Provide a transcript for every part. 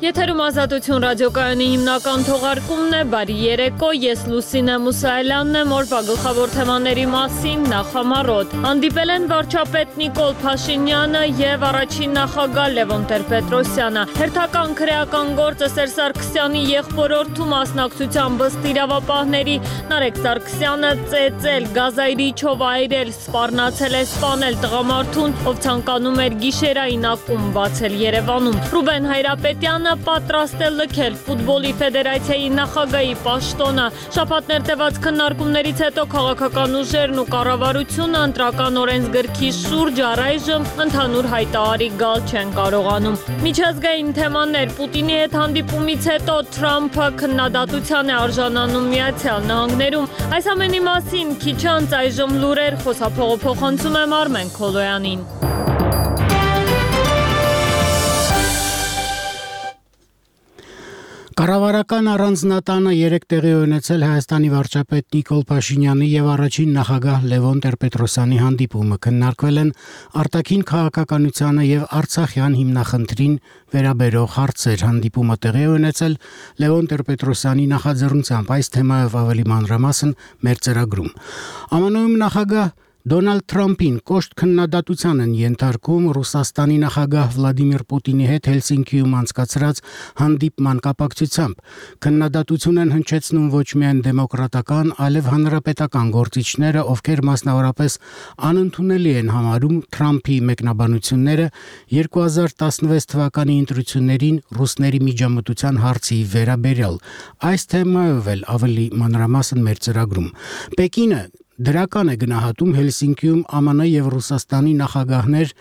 Եթերում Ազատություն ռադիոկայանի հիմնական թողարկումն է, բարի երեկո, ես Լուսինե Մուսայելյանն եմ, օրվա գլխավոր թեմաների մասին նախամարոտ։ Հանդիպել են վարչապետ Նիկոլ Փաշինյանը և առաջին նախագահ Լևոն Տեր-Պետրոսյանը։ Հերթական քրեական գործը Սերժ Սարգսյանի եղբորորդու մասնակցությամբ ըստ իրավապահների Նարեկ Սարգսյանը ծեծել, գազայրիչով այրել, սպառնացել է սպանել տղամարդուն, ով ցանկանում էր գիշերային ակումբ բացել Երևանում։ Ռուբեն Հայրապետյանը պատրաստ է լքել ֆուտբոլի ֆեդերացիայի նախագահի պաշտոնը։ Շաբաթներ տևած քննարկումներից հետո քաղաքական ուժերն ու կառավարությունը ընտրական օրենսգրքի շուրջ առայժմ ընդհանուր հայտարարի գալ չեն կարողանում։ Միջազգային թեմաներ Պուտինի հետ հանդիպումից հետո Թրամփը քննադատության է արժանանում Միացյալ Նահանգներում։ Այս ամենի մասին քիչ անց այժմ լուրեր խոսափողը փոխանցում եմ Արմեն Քոլոյանին։ Կառավարական առանձնատանը երեկ տեղի ունեցել Հայաստանի վարչապետ Նիկոլ Փաշինյանի եւ առաջին նախագահ Լևոն Տեր-Պետրոսյանի հանդիպումը։ Քննարկվել են արտաքին քաղաքականությանը եւ Արցախյան հիմնախնդրին վերաբերող հարցեր։ Հանդիպումը տեղի ունեցել Լևոն Տեր-Պետրոսյանի նախաձեռնությամբ։ Այս թեմայով ավելի մանրամասն մեր ծրագրում։ ԱՄՆ-ում նախագահ Դոնալդ Թրամփին կոշտ քննադատության են ենթարկում Ռուսաստանի նախագահ Վլադիմիր Պուտինի հետ Հելսինկիում անցկացրած հանդիպման կապակցությամբ։ Քննադատություն են հնչեցնում ոչ միայն դեմոկրատական, այլև հանրապետական գործիչները, ովքեր մասնավորապես անընդունելի են համարում Թրամփի մեկնաբանությունները 2016 թվականի ընտրություններին ռուսների միջամտության հարցի վերաբերյալ։ Այս թեմայով էլ ավելի մանրամասն մեր ծրագրում։ Պեկինը դրական է գնահատում Հելսինկիում ԱՄՆ եւ Ռուսաստանի նախագահներ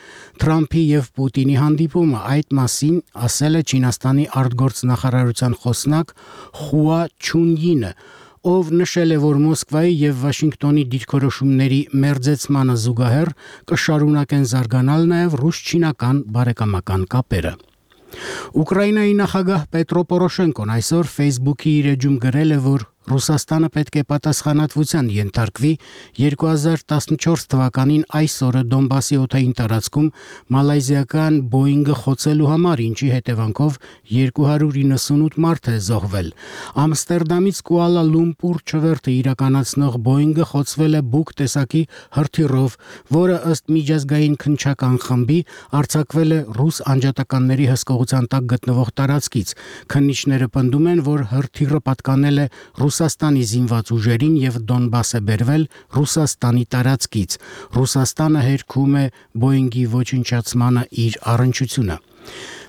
Թրամփի եւ Պուտինի հանդիպումը։ Այդ մասին ասել է Չինաստանի արտգործնախարարության խոսնակ Խուա Չունյինը, ով նշել է, որ Մոսկվայի եւ Վաշինգտոնի դիրքորոշումների մերձեցմանը զուգահեռ կշարունակեն զարգանալ նաեւ ռուս-չինական բարեկամական կապերը։ Ուկրաինայի նախագահ Պետրո Պորոշենկոն այսօր Facebook-ի իր էջում գրել է, որ Ռուսաստանը պետք է պատասխանատվության ենթարկվի 2014 թվականին այս օրը Դոնբասի օդային տարածքում մալայզիական Boeing-ը խոցելու համար, ինչի հետևանքով 298 մարդ է զոհվել։ Ամստերդամից Կուալա Լումպուր չվերթը իրականացնող Boeing-ը խոցվել է Buk տեսակի հրթիռով, որը ըստ միջազգային քննչական խմբի արձակվել է ռուս անջատականների հսկողության տակ գտնվող տարածքից։ Քննիչները պնդում են, որ հրթիռը պատկանել է Ռուսաստանի զինված ուժերին եւ Դոնբաս է բերվել Ռուսաստանի տարածքից։ Ռուսաստանը հերքում է Boeing-ի ոչնչացմանը իր առնչությունը։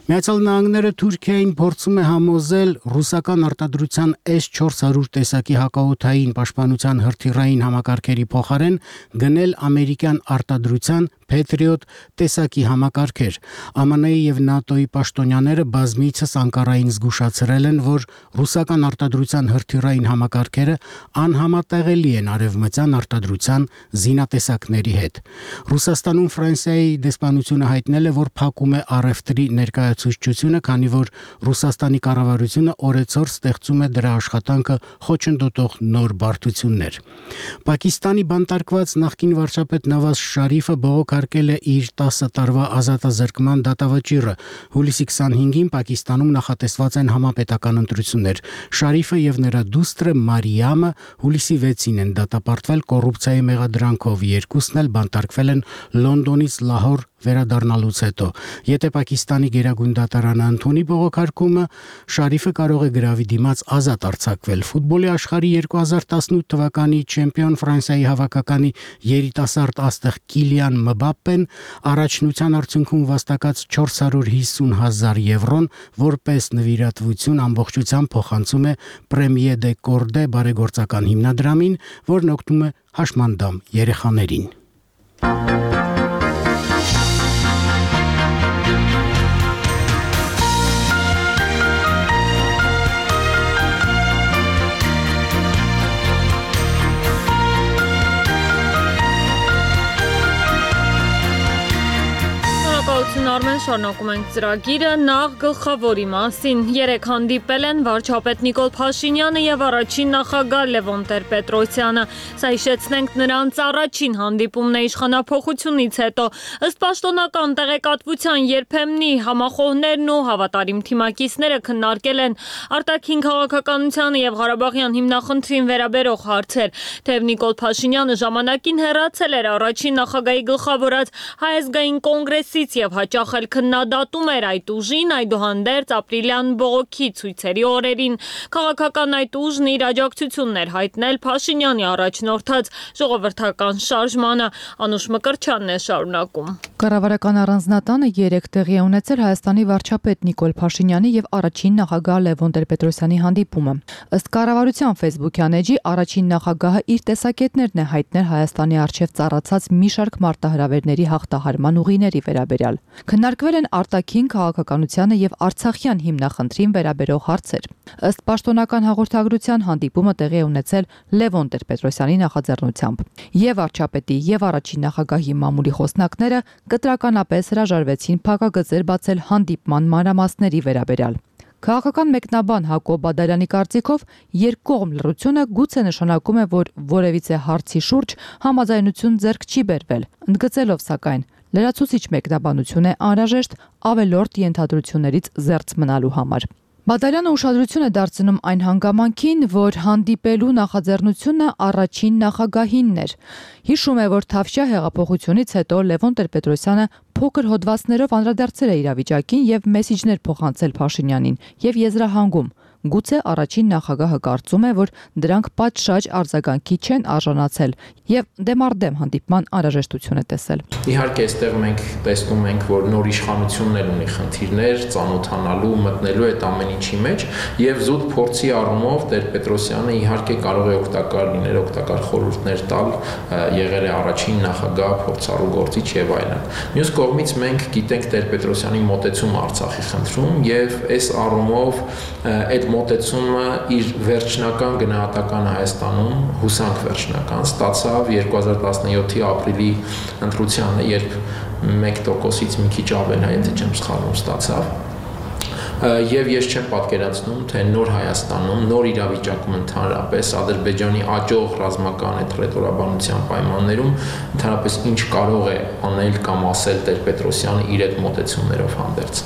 Միացյալ Նահանգները Թուրքիային փորձում է համոզել ռուսական արտադրության S-400 տեսակի հակաօդային պաշտպանության հրթիռային համակարգերի փոխարեն գնել ամերիկյան արտադրության Patriot տեսակի համակարգեր։ ԱՄՆ-ի եւ ՆԱՏՕ-ի պաշտոնյաները բազմիցս Անկարային զգուշացրել են, որ ռուսական արտադրության հրթիռային համակարգերը անհամատեղելի են արևմտյան արտադրության զինատեսակների հետ։ Ռուսաստանում Ֆրանսիայի դեսպանությունը հայտնել է, որ փակում է առևտրի ներկայացուցչությունը, քանի որ Ռուսաստանի կառավարությունը օրեցօր ստեղծում է դրա աշխատանքը խոչընդոտող նոր բարդություններ։ Պակիստանի բանտարկված նախկին վարչապետ Նավազ Շարիֆը բողոքարկել է իր 10 տարվա ազատազրկման դատավճիռը։ Հուլիսի 25-ին Պակիստանում նախատեսված են համապետական ընտրություններ։ Շարիֆը եւ նրա դուստրը Մարիամը հուլիսի 6-ին են դատապարտվել կոռուպցիայի մեղադրանքով։ Երկուսն էլ բանտարկվել են Լոնդոնից Լահոր վերադառնալուց հետո։ Եթե Պակիստանի գերագույն դատարանը ընդունի բողոքարկումը, Շարիֆը կարող է գրավի դիմաց ազատ արձակվել։ Ֆուտբոլի աշխարհի 2018 թվականի չեմպիոն Ֆրանսիայի հավաքականի երիտասարդ աստղ Կիլիան Մբապպեն առաջնության արդյունքում վաստակած 450,000 եվրոն որպես նվիրատվություն ամբողջությամբ փոխանցում է Premier de Corde բարեգործական հիմնադրամին, որն օգնում է հաշմանդամ երեխաներին։ Բարեկացություն Արմեն, շարունակում ենք ծրագիրը, նախ գլխավորի մասին։ Երեկ հանդիպել են վարչապետ Նիկոլ Փաշինյանը եւ առաջին նախագահ Լևոն Տեր-Պետրոսյանը։ Սա հիշեցնենք նրանց առաջին հանդիպումն է իշխանափոխությունից հետո։ Ըստ պաշտոնական տեղեկատվության երբեմնի համախոհներն ու հավատարիմ թիմակիցները քննարկել են արտաքին քաղաքականությանը եւ Ղարաբաղյան հիմնախնդրին վերաբերող հարցեր։ Թեև Նիկոլ Փաշինյանը ժամանակին հեռացել էր առաջին նախագահի գլխավորած Հայ ազգային կոնգրեսից եւ հաճախ էլ քննադատում էր այդ ուժին, այդուհանդերձ ապրիլյան բողոքի ցույցերի օրերին քաղաքական այդ ուժն իր աջակցությունն էր հայտնել Փաշինյանի առաջնորդած ժողովրդական շարժմանը։ Անուշ Մկրտչյանն է շարունակում։ Կառավարական առանձնատանը երեկ տեղի է ունեցել Հայաստանի վարչապետ Նիկոլ Փաշինյանի եւ առաջին նախագահ Լևոն Տեր-Պետրոսյանի հանդիպումը։ Ըստ կառավարության Facebook-յան էջի առաջին նախագահը իր տեսակետներն է հայտնել Հայաստանի արչեւ ծառացած մի շարք մարտահրավերների հաղթահարման ուղիների վերաբերյալ։ Քննարկվել են արտաքին քաղաքականությանը եւ Արցախյան հիմնախնդրին վերաբերող հարցեր։ Ըստ պաշտոնական հաղորդագրության հանդիպումը տեղի է ունեցել Լևոն Տեր-Պետրոսյանի նախաձեռնությամբ։ Եվ վարչապետի եւ առաջին նախագահի մամուլի խոսնակները կտրականապես հրաժարվեցին փակագծեր բացել հանդիպման մանրամասների վերաբերյալ։ Քաղաքական մեկնաբան Հակոբ Բադալյանի կարծիքով երկկողմ լռությունը գուցե նշանակում է, որ որևիցե հարցի շուրջ համաձայնություն ձեռք չի բերվել, ընդգծելով սակայն լրացուցիչ մեկնաբանություն է անհրաժեշտ ավելորդ ենթադրություններից զերծ մնալու համար։ Բադալյանը ուշադրություն է դարձնում այն հանգամանքին, որ հանդիպելու նախաձեռնությունը առաջին նախագահինն էր։ Հիշում է, որ Թավշյա հեղափոխությունից հետո Լևոն Տեր-Պետրոսյանը փոքր հոդվածներով անդրադարձել է իրավիճակին եւ մեսիջներ փոխանցել Փաշինյանին եւ եզրահանգում։ Գուցե առաջին նախագահը կարծում է, որ դրանք պատշաճ արձագանքի չեն արժանացել եւ դեմարդեմ հանդիպման անհրաժեշտություն է տեսել։ Իհարկե, այստեղ մենք տեսնում ենք, որ նոր իշխանությունն էլ ունի խնդիրներ, ծանոթանալու, մտնելու այդ ամեն ինչի մեջ եւ զուտ փորձի առումով Տեր-Պետրոսյանը իհարկե կարող է օգտակար լինել, օգտակար խորհուրդներ տալ, եղել է առաջին նախագահ, փորձառու գործիչ եւ այլն։ Մյուս կողմից մենք գիտենք Տեր-Պետրոսյանի մոտեցումը Արցախի խնդրում եւ այս առումով այդ մոտեցումը իր վերջնական գնահատական Հայաստանում հուսանք վերջնական ստացավ 2017-ի ապրիլի ընտրությանը, երբ 1%-ից մի քիչ ավել, եթե չեմ սխալվում, ստացավ։ Եվ ես չեմ պատկերացնում, թե նոր Հայաստանում, նոր իրավիճակում ընդհանրապես Ադրբեջանի աճող ռազմական այդ ռետորաբանության պայմաններում ընդհանրապես ինչ կարող է անել կամ ասել Տեր-Պետրոսյանը իր այդ մոտեցումներով հանդերձ։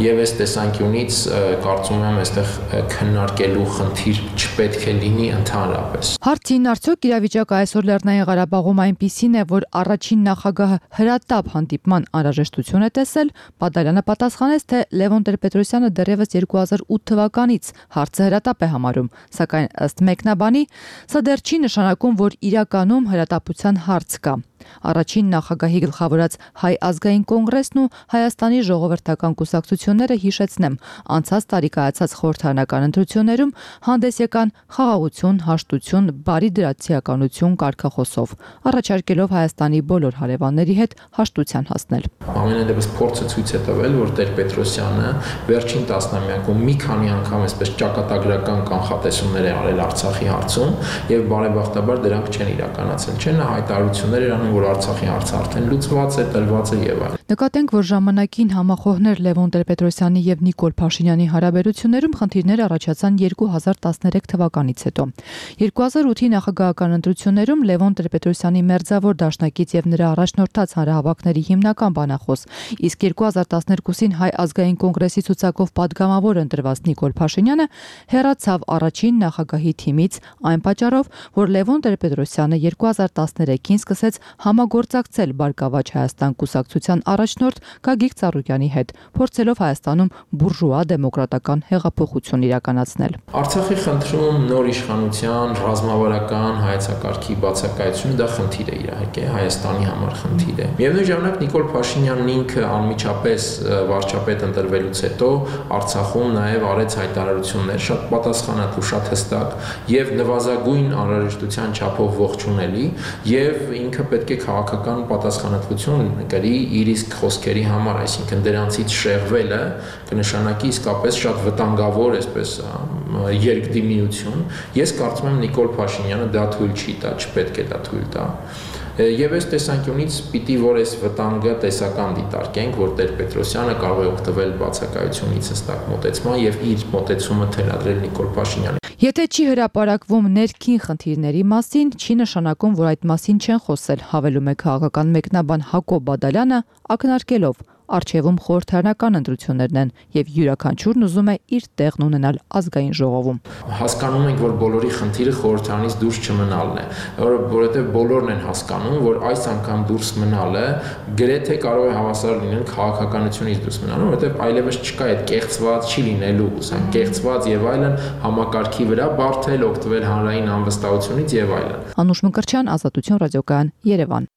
Եվ այս տեսանկյունից կարծում եմ, այստեղ քննարկելու խնդիր չպետք է լինի ընդհանրապես։ Հարցին արդյոք իրավիճակը այսօր Լեռնային Ղարաբաղում այնպիսին է, որ առաջին նախագահը հրատապ հանդիպման անհրաժեշտություն է տեսել, Բադալյանը պատասխանեց, թե Լևոն Տեր-Պետրոսյանը դեռևս 2008 թվականից հարցը հրատապ է համարում, սակայն ըստ մեկնաբանի, սա դեռ չի նշանակում, որ իրականում հրատապության հարց կա։ Առաջին նախագահի գլխավորած Հայ ազգային կոնգրեսն ու Հայաստանի ժողովրդական կուսակցությունները, հիշեցնեմ, անցած տարի կայացած խորհրդարանական ընտրություններում հանդես եկան խաղաղություն, հաշտություն, բարի դրացիականություն կարգախոսով, առաջարկելով Հայաստանի բոլոր հարևանների հետ հաշտության հասնել։ Ամենևս փորձը ցույց է տվել, որ Տեր-Պետրոսյանը վերջին տասնամյակում մի քանի անգամ այսպես ճակատագրական կանխատեսումներ է արել Արցախի հարցում եւ բարեբախտաբար դրանք չեն իրականացել։ Չեն հայտարարություններ իրան որ Արցախի հարցը արդեն լուծված է, տրված է եւ այլն։ Նկատենք, որ ժամանակին համախոհներ Լևոն Տեր-Պետրոսյանի եւ Նիկոլ Փաշինյանի հարաբերություններում խնդիրներ առաջացան 2013 թվականից հետո։ 2008-ի նախագահական ընտրություններում Լևոն Տեր-Պետրոսյանի մերձավոր դաշնակից եւ նրա առաջնորդած հանրահավաքների հիմնական բանախոս, իսկ 2012-ին Հայ ազգային կոնգրեսի ցուցակով падգամավոր ընտրված Նիկոլ Փաշինյանը հեռացավ առաջին նախագահի թիմից այն պատճառով, որ Լևոն Տեր-Պետրոսյանը 2013-ին սկսեց համագործակցել Բարգավաճ Հայաստան կուսակցության առաջնորդ Գագիկ Ծառուկյանի հետ, փորձելով Հայաստանում բուրժուա դեմոկրատական հեղափոխություն իրականացնել։ Արցախի խնդրում նոր իշխանության ռազմավարական հայեցակարգի բացակայությունը դա խնդիր է իհարկե, Հայաստանի համար խնդիր է։ Միևնույն ժամանակ Նիկոլ Փաշինյանն ինքը անմիջապես վարչապետ ընտրվելուց հետո Արցախում նաև արեց հայտարարություններ շատ պատասխանատու, շատ հստակ եւ նվազագույն անհրաժեշտության չափով ողջունելի եւ ինքը պետք է քաղաքական պատասխանատվություն կրի իր իսկ խոսքերի համար, այսինքն դրանցից շեղվելը կնշանակի իսկապես շատ վտանգավոր այսպես երկդիմիություն։ Ես կարծում եմ Նիկոլ Փաշինյանը դա թույլ չի տա, չպետք է դա թույլ տա։ Եվ այս տեսանկյունից պիտի որ այս վտանգը տեսական դիտարկենք, որ Տեր-Պետրոսյանը կարող է օգտվել բացակայությունից հստակ մոտեցման եւ իր մոտեցումը թելադրել Նիկոլ Փաշինյանին։ Եթե չի հրապարակվում ներքին խնդիրների մասին, չի նշանակում, որ այդ մասին չեն խոսել, հավելում է քաղաքական մեկնաբան Հակոբ Բադալյանը, ակնարկելով. Արչևում խորհրդարանական ընտրություններն են եւ յուրաքանչյուրն ուզում է իր տեղն ունենալ ազգային ժողովում։ Հասկանում ենք, որ բոլորի խնդիրը խորհրդարանից դուրս չմնալն է, որովհետեւ բոլորն են հասկանում, որ այս անգամ դուրս մնալը գրեթե կարող է հավասար լինել քաղաքականությունից դուրս մնալու, որովհետեւ այլևս չկա այդ կեղծված չի լինելու, ուսան կեղծված եւ այլն համակարգի վրա բարթել, օգտվել հանրային անվստահությունից եւ այլն։ Անուշ Մկրտչյան, Ազատություն ռադիոկայան, Երևան։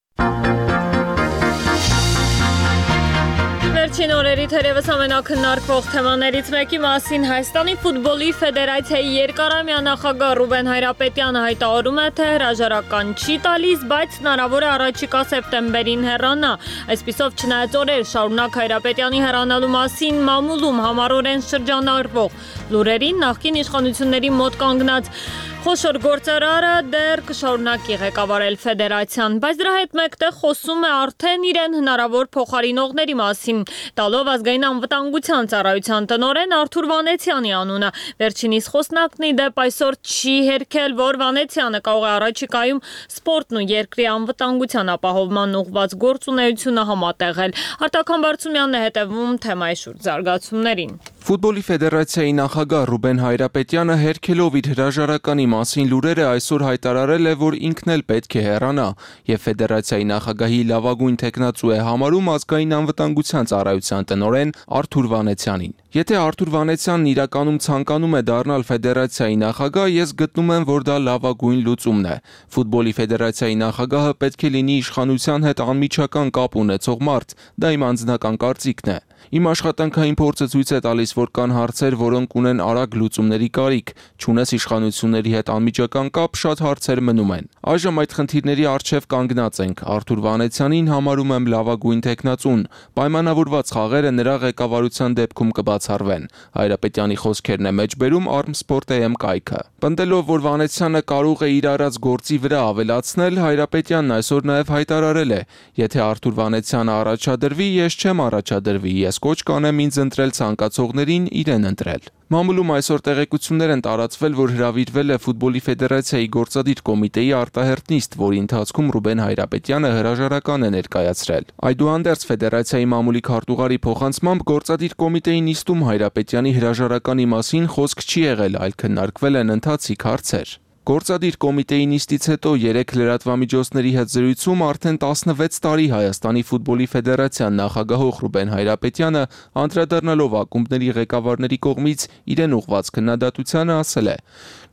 Վերջին օրերի թերևս ամենակննարկվող թեմաներից մեկի մասին Հայաստանի ֆուտբոլի ֆեդերացիայի երկարամյա նախագահ Ռուբեն Հայրապետյանը հայտարարում է, թե հրաժարական չի տալիս, բայց հնարավոր է առաջիկա սեպտեմբերին հեռանա։ Այսպիսով, չնայած օրեր շարունակ Հայրապետյանի հեռանալու մասին մամուլում համառորեն շրջանառվող լուրերին, նախկին իշխանությունների մոտ կանգնած խոշոր գործարարը դեռ կշարունակի ղեկավարել ֆեդերացիան, բայց դրա հետ մեկտեղ խոսում է արդեն իրեն հնարավոր փոխարինողների մասին, տալով ազգային անվտանգության ծառայության տնօրեն Արթուր Վանեցյանի անունը։ Վերջինիս խոսնակն ի դեպ այսօր չի հերքել, որ Վանեցյանը կարող է առաջիկայում սպորտն ու երկրի անվտանգության ապահովման ուղղված գործունեությունը համատեղել։ Արտակ Համբարձումյանն է հետևում թեմայի շուրջ զարգացումներին։ Ֆուտբոլի ֆեդերացիայի նախագահ Ռուբեն Հայրապետյանը հերքելով իր հրաժարականի մասին լուրերը այսօր հայտարարել է, որ ինքն էլ պետք է հեռանա եւ ֆեդերացիայի նախագահի լավագույն տեխնացու է համարում ազգային անվտանգության ծառայության տնօրեն Արթուր Վանեցյանին։ Եթե Արթուր Վանեցյանն իրականում ցանկանում է դառնալ ֆեդերացիայի նախագահ, ես գտնում եմ, որ դա լավագույն լուծումն է։ Ֆուտբոլի ֆեդերացիայի նախագահը պետք է լինի իշխանության հետ անմիջական կապ ունեցող մարդ, դա իմ անձնական կարծիքն է։ Իմ աշխատանքային փորձը ցույց է տալիս, որ կան հարցեր, որոնք ունեն արագ լուծումների կարիք, չունես իշխանությունների հետ անմիջական կապ, շատ հարցեր մնում են։ Այժմ այդ խնդիրների առջև կանգնած ենք։ Արթուր Վանեցյանին համարում եմ լավագույն տեխնացուն։ Պայմանավորված խաղերը նրա ղեկավարության դեպքում կբացառվեն։ Հայրապետյանի խոսքերն է մեջբերում Armsport.am կայքը։ Պնդելով, որ Վանեցյանը կարող է իր արած գործի վրա ավելացնել, Հայրապետյանն այսօր նաև հայտարարել է. Եթե Արթուր Վանեցյանը առաջադրվի, ես չեմ առաջադրվի, ես կոչ կանեմ ինձ ընտրել ցանկացողներին իրեն ընտրել։ Մամուլում այսօր տեղեկություններ են տարածվել, որ հրավիրվել է ֆուտբոլի ֆեդերացիայի գործադիր կոմիտեի արտահերթ նիստ, որի ընթացքում Ռուբեն Հայրապետյանը հրաժարական է ներկայացրել։ Այդուհանդերձ ֆեդերացիայի մամուլի քարտուղարի փոխանցմամբ գործադիր կոմիտեի նիստում Հայրապետյանի հրաժարականի մասին խոսք չի եղել, այլ քննարկվել են ընթացիկ հարցեր։ Գործադիր կոմիտեի նիստից հետո 3 լրատվամիջոցների հետ զրույցում արդեն 16 տարի Հայաստանի ֆուտբոլի ֆեդերացիան նախագահող Ռուբեն Հայրապետյանը անդրադառնալով ակումբների ղեկավարների կողմից իրեն ուղղված քննադատությանը ասել է.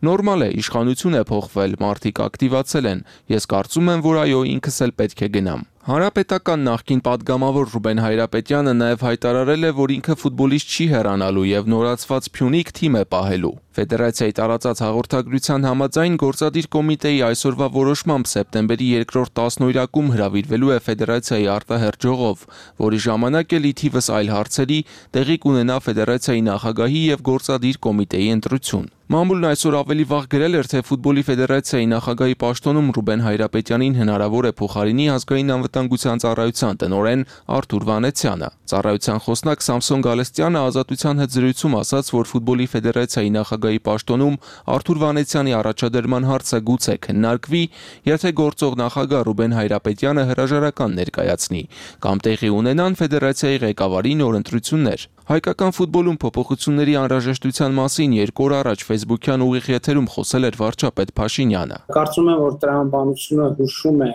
Նորմալ է, իշխանություն է փոխվել, մարդիկ ակտիվացել են, ես կարծում եմ, որ այո, ինքս էլ պետք է գնամ։ Հանրապետական նախկին падգամավոր Ռուբեն Հայրապետյանը նաև հայտարարել է, որ ինքը ֆուտբոլիստ չի հեռանալու եւ նորացված Փյունիկ թիմ է պահելու։ Ֆեդերացիայի տարածած հաղորդագրության համաձայն գործադիր կոմիտեի այսօրվա որոշմամբ սեպտեմբերի 2-րդ 10-օրյակում հրավիրվելու է ֆեդերացիայի արտահերթ ժողով, որի ժամանակ էլ ի թիվս այլ հարցերի տեղի կունենա ֆեդերացիայի նախագահի եւ գործադիր կոմիտեի ընտրություն։ Մամուլն այսօր ավելի վաղ գրել էր, թե ֆուտբոլի ֆեդերացիայի նախագահի պաշտոնում Ռուբեն Հայրապետյանին հնարավոր է փոխարինի ազգային անվտանգության ծառայության տնօրեն Արթուր Վանեցյանը։ Ծառայության խոսնակ Սամսոն Գալստյանը Ազատության հետ զրույցում ասաց, որ ֆուտբոլի ֆեդերացիայի նախագահի պաշտոնում Արթուր Վանեցյանի առաջադրման հարցը գուցե քննարկվի, եթե գործող նախագահ Ռուբեն Հայրապետյանը հրաժարական ներկայացնի, կամ տեղի ունենան ֆեդերացիայի ղեկավարի նոր ընտրություններ։ Հայկական ֆուտբոլում փոփոխությունների անհրաժեշտության մասին 2 օր առաջ Facebook-յան ուղիղ եթերում խոսել էր վարչապետ Փաշինյանը։ Կարծում եմ, որ տրամաբանությունը հուշում է,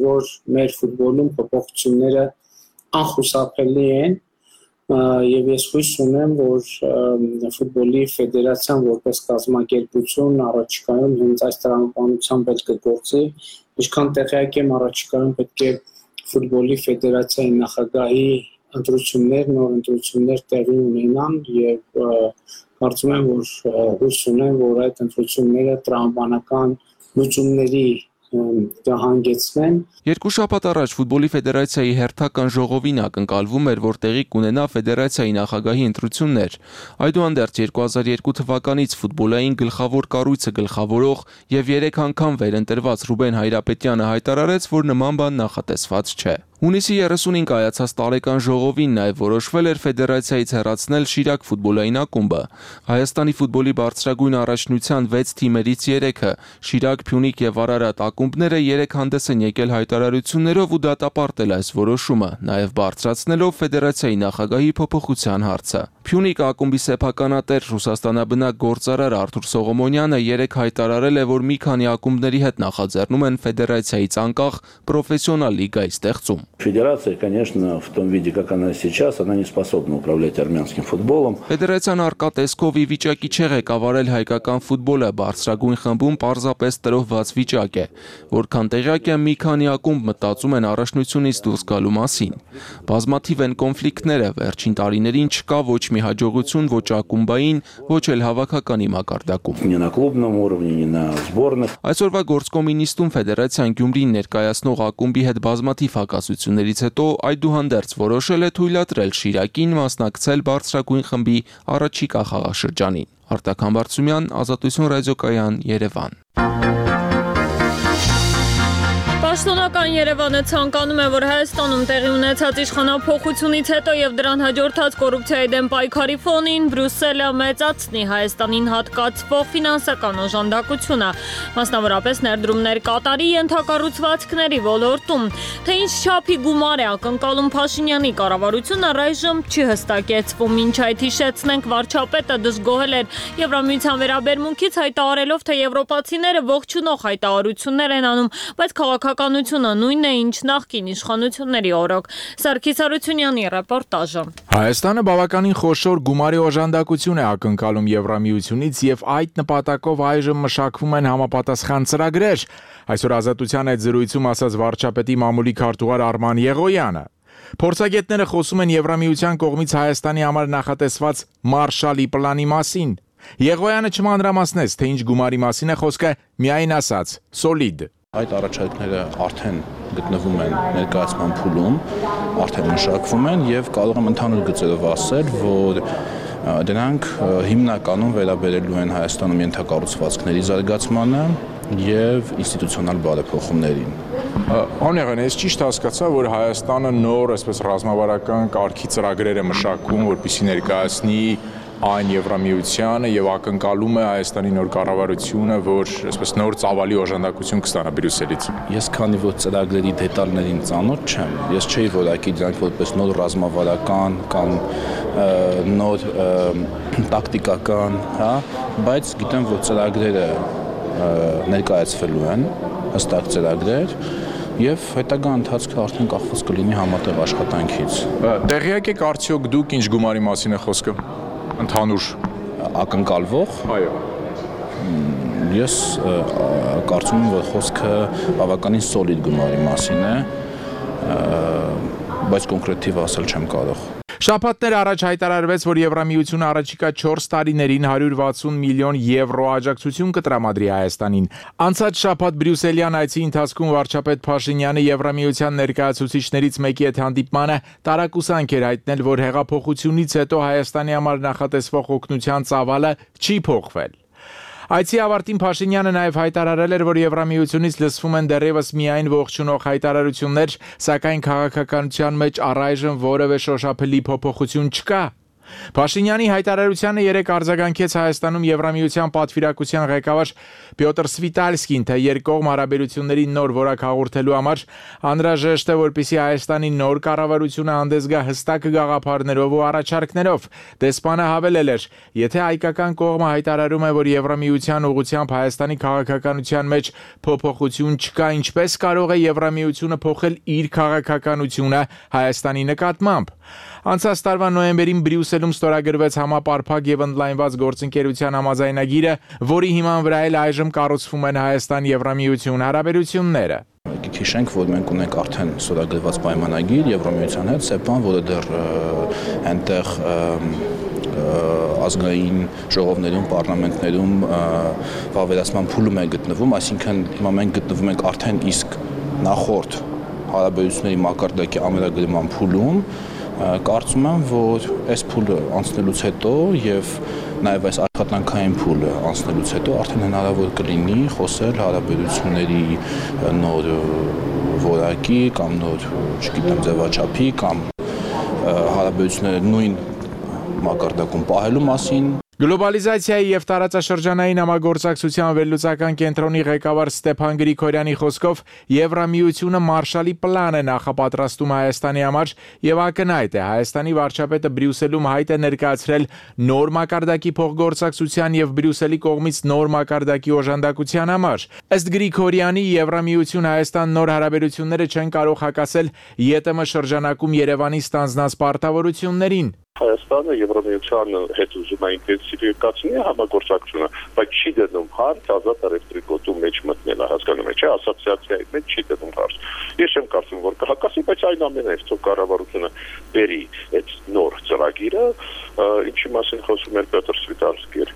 որ մեր ֆուտբոլում փոփոխությունները անխուսափելի են, եւ ես հույս ունեմ, որ ֆուտբոլի ֆեդերացիան որպես կազմակերպություն առաջիկայում հենց այս տրամաբանությամբ էլ կգործի, ինչքան տեղյակ եմ առաջիկայում պետք է ֆուտբոլի ֆեդերացիայի նախագահի ընտրություններ, նոր ընտրություններ տեղի ունենան եւ կարծում եմ, որ հույս ունեմ, որ այդ ընտրությունները տրամաբանական լուծումների կհանգեցնեն։ Երկու շաբաթ առաջ ֆուտբոլի ֆեդերացիայի հերթական ժողովին ակնկալվում էր, որ տեղի կունենա ֆեդերացիայի նախագահի ընտրություններ։ Այդուհանդերձ 2002 թվականից ֆուտբոլային գլխավոր կառույցը գլխավորող եւ 3 անգամ վերընտրված Ռուբեն Հայրապետյանը հայտարարեց, որ նման բան նախատեսված չէ։ Հունիսի 35 կայացած տարեկան ժողովին նաև որոշվել էր ֆեդերացիայից հեռացնել Շիրակ ֆուտբոլային ակումբը։ Հայաստանի ֆուտբոլի բարձրագույն առաջնության 6 թիմերից 3-ը՝ Շիրակ, Փյունիկ եւ Արարատ ակումբները 3 հանդես են եկել հայտարարություններով ու դատապարտել այս որոշումը, նաև բարձրացնելով ֆեդերացիայի նախագահի փոփոխության հարցը։ Փյունիկ ակումբի սեփականատեր Ռուսաստանաբնակ գործարար Արթուր Սողոմոնյանը 3 հայտարարել է, որ մի քանի ակումբների հետ նախաձեռնում են ֆեդերացիայից անկախ պրոֆեսիոնալ լիգայի ստեղծում։ Федерация, конечно, в том виде, как она сейчас, она не способна управлять армянским футболом. Ֆեդերացիան արկա տեսքով ի վիճակի չէ ղեկավարել հայկական ֆուտբոլը, բարձրագույն խմբում պարզապես տրոհված վիճակ է, որքան տեղյակ է մի քանի ակումբ մտածում են առաջնությունից դուրս գալու մասին։ Բազմաթիվ են կոնֆլիկտները, վերջին տարիներին չկա ոչ մի հաջողություն ոչ ակումբային, ոչ էլ հավաքականի մակարդակում։ Ни на клубном уровне, ни на сборных. Այսօրվա գործկոմունիստում ֆեդերացիան Գյումրին ներկայացնող ակումբի հետ բազմաթիվ հակասություններից հետո այդուհանդերձ որոշել է թույլատրել Շիրակին մասնակցել բարձրագույն խմբի առաջիկա խաղաշրջանին։ Արտակ Համբարձումյան, Ազատություն ռադիոկայան, Երևան։ Պաշտոնական Երևանը ցանկանում է, որ Հայաստանում տեղի ունեցած իշխանափոխությունից հետո եւ դրան հաջորդած կոռուպցիայի դեմ պայքարի ֆոնին Բրյուսելը մեծացնի Հայաստանին հատկացվող ֆինանսական օժանդակությունը, մասնավորապես ներդրումներ կատարի ենթակառուցվածքների ոլորտում։ Թե ինչ չափի գումար է ակնկալում Փաշինյանի կառավարությունը առայժմ չի հստակեցվում։ Մինչ այդ հիշեցնենք, վարչապետը դժգոհել էր Եվրամիության վերաբերմունքից, հայտարարելով, թե եվրոպացիները ողջունող հայտարարություններ են անում, բայց քաղաքականությունը նույնն է, ինչ նախկին իշխանությունների օրոք։ Սարգիս Արությունյանի ռեպորտաժը։ Հայաստանը բավականին խոշոր գումարի օժանդակություն է ակնկալում Եվրամիությունից եւ այդ նպատակով այժմ մշակվում են համապատասխան ծրագրեր։ Այսօր Ազատության այդ զրույցում ասաց վարչապետի մամուլի քարտուղար Արման Եղոյանը։ Փորձագետները խոսում են Եվրամիության կողմից Հայաստանի համար նախատեսված Մարշալի պլանի մասին։ Եղոյանը չմանրամասնեց, թե ինչ գումարի մասին է խոսքը, միայն ասաց՝ սոլիդ։ Այդ առաջարկները արդեն գտնվում են ներկայացման փուլում, արդեն մշակվում են եւ կարող եմ ընդհանուր գծերով ասել, որ դրանք հիմնականում վերաբերելու են Հայաստանում ենթակառուցվածքների զարգացմանը եւ ինստիտուցիոնալ բարեփոխումներին։ Անեղեն, ես ճիշտ հասկացա, որ Հայաստանը նոր, այսպես ռազմավարական կարգի ծրագրեր է մշակում, որպեսզի ներկայացնի այն Եվրամիությանը եւ ակնկալում է Հայաստանի նոր կառավարությունը, որ այսպես նոր ծավալի օժանդակություն կստանա Բրյուսելից։ Ես քանի որ ծրագրերի դետալներին ծանոթ չեմ, ես չէի որակի դրանք որպես նոր ռազմավարական կամ նոր տակտիկական, հա, բայց գիտեմ, որ ծրագրերը ներկայացվելու են, հստակ ծրագրեր եւ հետագա ընթացքը արդեն կախված կլինի համատեղ աշխատանքից։ Տեղյակ եք արդյոք դուք ինչ գումարի մասին է խոսքը։ Ընդհանուր ակնկալվող։ Այո։ Ես կարծում եմ, որ խոսքը բավականին սոլիդ գումարի մասին է, բայց կոնկրետ թիվ ասել չեմ կարող։ Շաբաթներ առաջ հայտարարվեց, որ Եվրամիությունը առաջիկա 4 տարիներին 160 միլիոն եվրո աջակցություն կտրամադրի Հայաստանին։ Անցած շաբաթ Բրյուսելյան այցի ընթացքում վարչապետ Փաշինյանը Եվրամիության ներկայացուցիչներից մեկի հետ հանդիպմանը տարակուսանք էր հայտնել, որ հեղափոխությունից հետո Հայաստանի համար նախատեսվող օգնության ծավալը չի փոխվել։ Այցի ավարտին Փաշինյանը նաև հայտարարել էր, որ Եվրամիությունից լսվում են դեռևս միայն ողջունող հայտարարություններ, սակայն քաղաքականության մեջ առայժմ որևէ շոշափելի փոփոխություն չկա։ Փաշինյանի հայտարարությանը 3 արձագանքեց Հայաստանում Եվրամիության պատվիրակության ղեկավար Պյոտր Սվիտալսկին, թե երկկողմ հարաբերությունների նոր որակ հաղորդելու համար անհրաժեշտ է, որպեսզի Հայաստանի նոր կառավարությունը հանդես գա հստակ գաղափարներով ու առաջարկներով։ Դեսպանը հավելել էր, եթե հայկական կողմը հայտարարում է, որ Եվրամիության ուղղությամբ Հայաստանի քաղաքականության մեջ փոփոխություն չկա, ինչպես կարող է Եվրամիությունը փոխել իր քաղաքականությունը Հայաստանի նկատմամբ։ Անցած տարվա նոյեմբերին Բրյուսելում ստորագրվեց համապարփակ եւ ընդլայնված գործընկերության համաձայնագիրը, որի հիման վրա էլ այժմ կառուցվում են Հայաստան-Եվրամիություն հարաբերությունները։ հիշենք, որ մենք ունենք արդեն ստորագրված պայմանագիր Եվրամիության հետ, ՍԵՊԱ-ն, որը դեռ այնտեղ ազգային ժողովներում, պարլամենտներում վավերացման փուլում է գտնվում, այսինքն հիմա մենք գտնվում ենք արդեն իսկ նախորդ հարաբերությունների մակարդակի ամենագրման փուլում, կարծում եմ, որ այս փուլը անցնելուց հետո եւ նաեւ այս աշխատանքային փուլը անցնելուց հետո արդեն հնարավոր կլինի խոսել հարաբերությունների նոր որակի կամ նոր, չգիտեմ, ձևաչափի կամ հարաբերությունները նույն մակարդակում պահելու մասին։ Գլոբալիզացիայի եւ տարածաշրջանային համագործակցության վերլուծական կենտրոնի ղեկավար Ստեփան Գրիգորյանի խոսքով Եվրամիությունը Մարշալի պլան է նախապատրաստում Հայաստանի համար եւ ակնհայտ է Հայաստանի վարչապետը Բրյուսելում հայտ է ներկայացրել նոր մակարդակի փոխգործակցության եւ Բրյուսելի կողմից նոր մակարդակի օժանդակության համար։ Ըստ Գրիգորյանի Եվրամիություն Հայաստան նոր հարաբերությունները չեն կարող հակասել ԵՏՄ շրջանակում Երևանի ստանձնած պարտավորություններին։ Հայաստանը Եվրամիության հետ ուզում է ինտենսիվացնել համագործակցությունը, բայց չի դնում հարց ազատ էլեկտրիկոտու մեջ մտնելը, հասկանում եք, չէ՞, ասոցիացիայի մեջ չի դնում հարց։ Ես չեմ կարծում, որ կհակասի, բայց այն ամենայնիվ թող կառավարությունը բերի այդ նոր ծրագիրը, ինչի մասին խոսում էր Պետր Սվիտալսկին,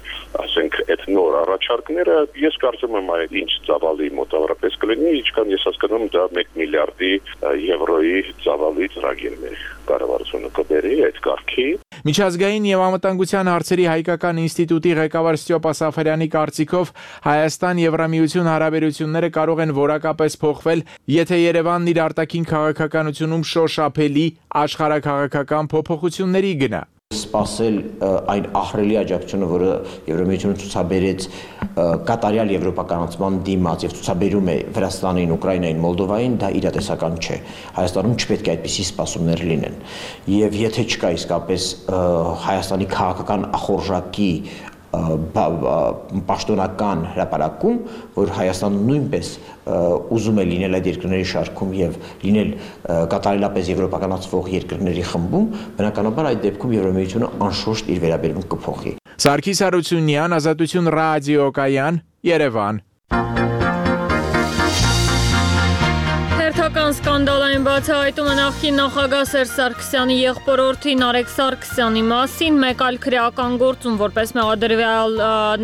ասենք այդ նոր առաջարկները, ես կարծում եմ այդ ինչ ծավալի մոտավորապես կլինի, ինչքան ես հասկանում դա 1 միլիարդի եվրոյի ծավալի ծրագիրն է կառավարությունը կբերի այդ կարգի։ Միջազգային եւ անվտանգության հարցերի հայկական ինստիտուտի ղեկավար Ստյոպա Սաֆարյանի կարծիքով Հայաստան-Եվրամիություն հարաբերությունները կարող են որակապես փոխվել, եթե Երևանն իր արտաքին քաղաքականությունում շոշափելի աշխարհաքաղաքական փոփոխությունների գնա։ Սպասել այն ահռելի աջակցությունը, որը Եվրամիությունը ցուցաբերեց կատարյալ եվրոպականացման դիմաց եւ ցուցաբերում է Վրաստանին, Ուկրաինային, Մոլդովային, դա իրատեսական չէ։ Հայաստանում չպետք է այդպիսի սպասումներ լինեն։ Եվ եթե չկա իսկապես Հայաստանի քաղաքական ախորժակի պաշտոնական հրապարակում, որ Հայաստանը նույնպես ուզում է լինել այդ երկրների շարքում եւ լինել կատարելապես եվրոպականացվող երկրների խմբում, բնականաբար այդ դեպքում Եվրամիությունը անշուշտ իր վերաբերմունք կփոխի։ Սարգիս Հարությունյան, Ազատություն ռադիոկայան, Երևան։ Հերթական սկանդալային բացահայտումը նախկին նախագահ Սերժ Սարգսյանի եղբորորդի Նարեկ Սարգսյանի մասին մեկ այլ քրեական գործում որպես մեղադրյալ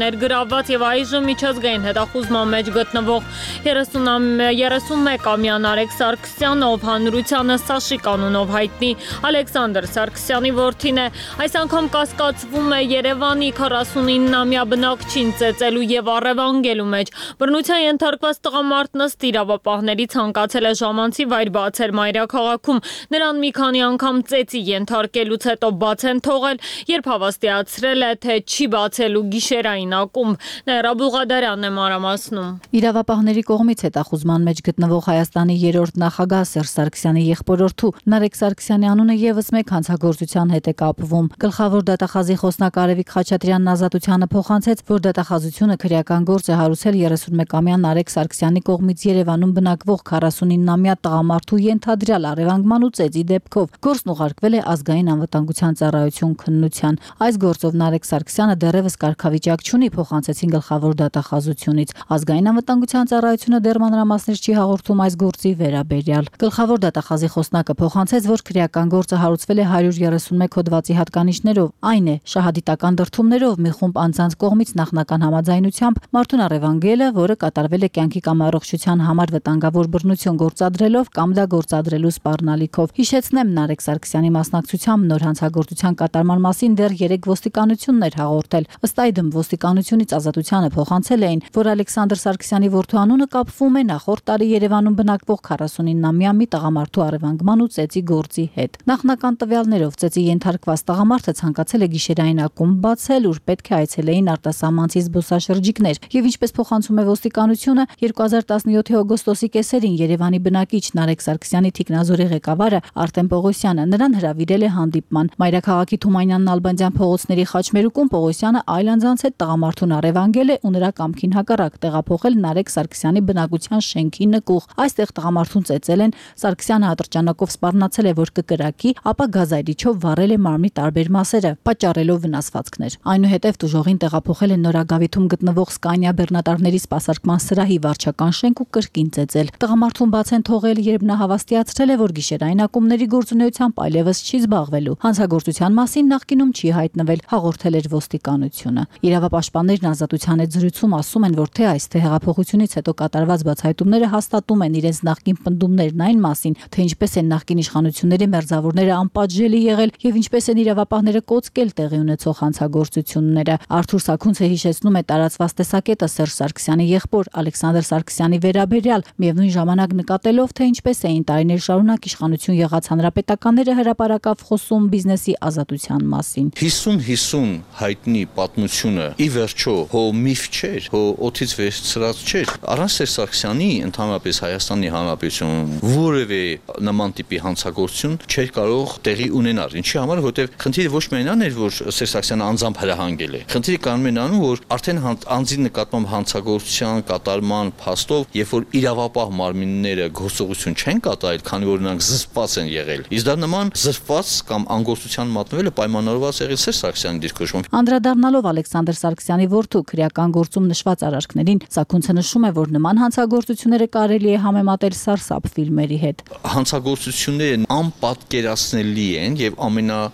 ներգրավված եւ այժմ միջազգային հետախուզման մեջ գտնվող 31-ամյա Նարեկ Սարգսյանը, ով հանրությանը Սաշիկ անունով հայտնի Ալեքսանդր Սարգսյանի որդին է, այս անգամ կասկածվում է Երևանի 49-ամյա բնակչին ծեծելու եւ առևանգելու մեջ։ Բռնության ենթարկված տղամարդն ըստ իրավապահների ցանկացել է ժամանցի վայր բացել մայրաքաղաքում, նրան մի քանի անգամ ծեծի ենթարկելուց հետո բաց են թողել, երբ հավաստիացրել է, թե չի բացելու գիշերային ակումբ։ Ներա Բուղադարյանն է մանրամասնում։ Իրավապահների կողմից հետախուզման մեջ գտնվող Հայաստանի երրորդ նախագահ Սերժ Սարգսյանի եղբորորդու Նարեկ Սարգսյանի անունը եւս մեկ հանցագործության հետ է կապվում։ Գլխավոր դատախազի խոսնակ Արևիկ Խաչատրյանն Ազատությանը փոխանցեց, որ դատախազությունը քրեական գործ է հարուցել 31-ամյա Նարեկ Սարգսյանի կողմից Երևանում բնակվող 49-ամյա տղամարդու ենթադրյալ առևանգման ու ծեծի դեպքով։ Գործն ուղարկվել է ազգային անվտանգության ծառայություն քննության։ Այս գործով Նարեկ Սարգսյանը դեռևս կարգավիճակ չունի, փոխանցեցին գլխավոր դատախազությունից։ Ազգային անվտանգության ծառայությունը դեռ մանրամասներ չի հաղորդում այս գործի վերաբերյալ։ Գլխավոր դատախազի խոսնակը փոխանցեց, որ քրեական գործը հարուցվել է 131 հոդվածի հատկանիշներով, այն է շահադիտական դրդումներով մի խումբ անձանց կողմից նախնական համաձայնությամբ մարդուն առևանգելը, որը կատարվել է կյանքի կամ առողջության համար վտանգավոր բռնություն գործադրելով կամ դա գործադրելու սպառնալիքով։ Հիշեցնեմ, Նարեկ Սարգսյանի մասնակցությամբ նոր հանցագործության կատարման մասին դեռ 3 ոստիկանություններ հաղորդել։ Ըստ այդմ ոստիկանությունից Ազատությանը փոխանցել էին, որ Ալեքսանդր Սարգսյանի որդու անունը կապվում է նախորդ տարի Երևանում բնակվող 49-ամյա մի տղամարդու առևանգման ու ծեծի գործի հետ։ Նախնական տվյալներով ծեծի ենթարկված տղամարդը ցանկացել է գիշերային ակումբ բացել, ուր պետք է այցելեին արտասահմանցի զբոսաշրջիկներ, եւ ինչպես փոխանցում է ոստիկանությունը, 2017-ի օգոստոսի կեսերին Երևանի բնակիչ Նարեկ Սարգսյանի թիկնազորի ղեկավարը Արտեմ Պողոսյանը նրան հրավիրել է հանդիպման։ Մայրաքաղաքի Թումանյան Նալբանդյան փողոցների խաչմերուկում Պողոսյանը այլ անձանց հետ տղամարդուն առևանգել է ու նրա կամքին հակառակ տեղափոխել Նարեկ Սարգսյանի բնակության շենքի նկուղ։ Այստեղ տղամարդուն ծեծել են, Սարգսյանը ատրճանակով սպառնացել է, որ կկրակի, ապա գազայրիչով վառել է մարմնի տարբեր մասերը, պատճառելով վնասվածքներ։ Այնուհետև դժողին տեղափոխել են Նորագավիթում գտնվող Սկանիա բեռնատարների սպասարկման սրահի վարչական շենք ու կրկին ծեծել։ Տղամարդուն բաց են թողել, երբ նա հավաստիացրել է, որ գիշերային ակումբների գործունեությամբ այլևս չի զբաղվելու։ Հանցագործության մասին նախկինում չի հայտնվել, հաղորդել էր ոստիկանությունը։ Իրավապաշտպաններն Ազատության հետ զրույցում ասում են, որ թե այս թե հեղափոխությունից հետո կատարված բացահայտումները հաստատում են իրենց նախկին պնդումներն այն մասին, թե ինչպես են նախկին իշխանությունների մերձավորները անպատժելի եղել եւ ինչպես են իրավապահները կոծկել տեղի ունեցող հանցագործությունները։ Արթուր Սաքունցը հիշեցնում է տարածված տեսակետը Սերժ Սարգսյանի եղբոր Ալեքսանդր Սարգսյանի վերաբերյալ, միևնույն ժամանակ նկատելով, թե ինչպես էին տարիներ շարունակ իշխանություն եղած հանրապետականները հրապարակավ խոսում բիզնեսի ազատության մասին։ 50-50 հայտնի պատմությունը ի վերջո հո միֆ չէր, հո օդից վերցրած չէր։ Առանց Սերժ Սարգսյանի ընդհանրապես Հայաստանի Հանրապետություն որևէ նման տիպի հանցագործություն չէր կարող տեղի ունենալ։ Ինչի համար, որովհետև խնդիրը ոչ միայն այն էր, որ Սերժ Սարգսյանը անձամբ հրահանգել է։ Խնդիրը կանում են անում, որ արդեն անձի նկատմամբ հանցագործության կատարման փաստով, երբ որ իրավապահ մարմինները գործողություն չեն կատարել, քանի որ նրանք զսպված են եղել։ Իսկ դա նման զսպված կամ անգործության մատնվելը պայմանավորված եղել Սերժ Սարգսյանի դիրքորոշմամբ։ Անդրադառնալով Ալեքսանդր Սարգսյանի որդու քրեական գործում նշված արարքներին, Սաքունցը նշում է, որ նման հանցագործությունները կարելի է համեմատել սարսափ ֆիլմերի հետ։ Հանցագործությունները անպատկերացնելի են եւ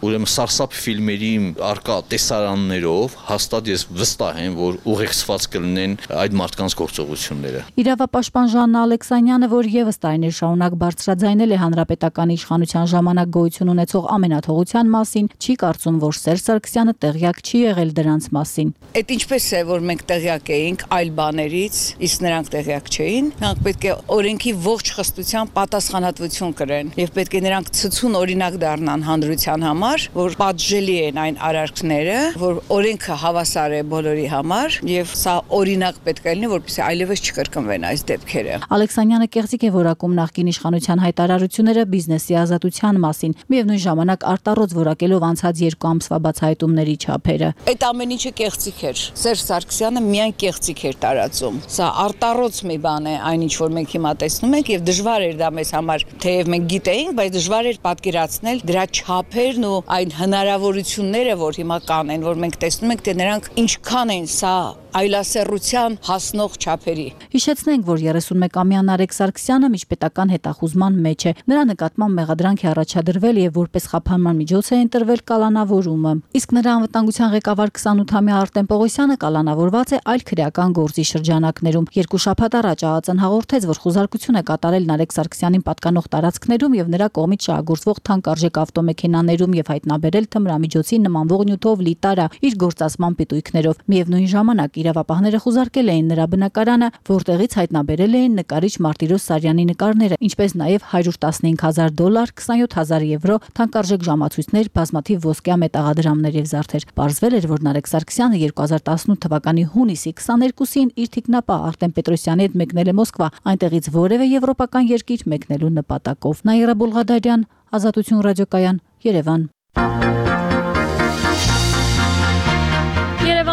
ուրեմն սարսափ ֆիլմերի արկա տեսարաններով հաստատ ես վստահ եմ, որ ուղեկցված կլինեն այդ մարդկանց գործողությունները։ Իրավապաշտպան Ժաննա Ալեքսանյանը, որ եւս տարիներ շարունակ բարձրաձայնել է հանրապետական իշխանության ժամանակ գոյություն ունեցող ամենաթողության մասին, չի կարծում, որ Սերժ Սարգսյանը տեղյակ չի եղել դրանց մասին։ Այդ ինչպես է, որ մենք տեղյակ էինք այլ բաներից, իսկ նրանք տեղյակ չէին, նրանք պետք է օրենքի ողջ խստությամբ պատասխանատվություն կրեն եւ պետք է նրանք ցցուն օրինակ դառնան հանրության համար, որ պատժելի են այն արարքները, որ օրենքը հավասար է բոլորի համար եւ սա օրինակ պետք է լինի, որպեսզի այլևս չկրկնվեն այս դեպքերը։ Ալեքսանյանը կեղծիք է որակում նախկին իշխանության հայտարարությունները բիզնեսի ազատության մասին, միևնույն ժամանակ արտառոց որակելով անցած 2 ամսվա բացահայտումների չափերը։ Այդ ամեն ինչը կեղծիք էր։ Սերժ Սարգսյանը միայն կեղծիք էր տարածում։ Սա արտառոց մի բան է, այն ինչ որ մենք հիմա տեսնում ենք եւ դժվար էր դա մեզ համար, թեև մենք գիտեինք, բայց դժվար էր պատկերացնել դրա չափերն ու այն հնարավորությունները, որ հիմա կան, որ մենք տեսնում ենք, թե նրանք ինչքան են սա այլասեռության հասնող չափերի։ Հիշեցնենք, որ 31-ամյա Նարեկ Սարգսյանը միջպետական հետախուզման մեջ է։ Նրա նկատմամբ մեղադրանք է առաջադրվել եւ որպես խափանման միջոց է ընտրվել կալանավորումը։ Իսկ նրա անվտանգության ղեկավար 28-ամյա Արտեմ Պողոսյանը կալանավորված է այլ քրեական գործի շրջանակներում։ 2 շաբաթ առաջ ԱԱԾ-ն հաղորդեց, որ խուզարկություն է կատարել Նարեկ Սարգսյանին պատկանող տարածքներում եւ նրա կողմից շահագործվող թանկարժեք ավտոմեքենաներում եւ հայտնաբերել թմրամիջոցի նմանվող նյութով լի տարա իր գործածման պիտույքներով։ Միևնույն ժամանակ իրավապահները խուզարկել էին նրա բնակարանը, որտեղից հայտնաբերել էին նկարիչ Մարտիրոս Սարյանի նկարները, ինչպես նաև $115,000, 27,000 եվրո, թանկարժեք ժամացույցներ, բազմաթիվ ոսկյա մետաղադրամներ եւ զարդեր։ Պարզվել էր, որ Նարեկ Սարգսյանը 2018 թվականի հունիսի 22-ին իր թիկնապահ Արտեմ Պետրոսյանի հետ մեկնել է Մոսկվա, այնտեղից որևէ եվրոպական երկիր մեկնելու նպատակով։ Նաիրա Բուլղադարյան, Ազատություն ռադիոկայան, Երևան։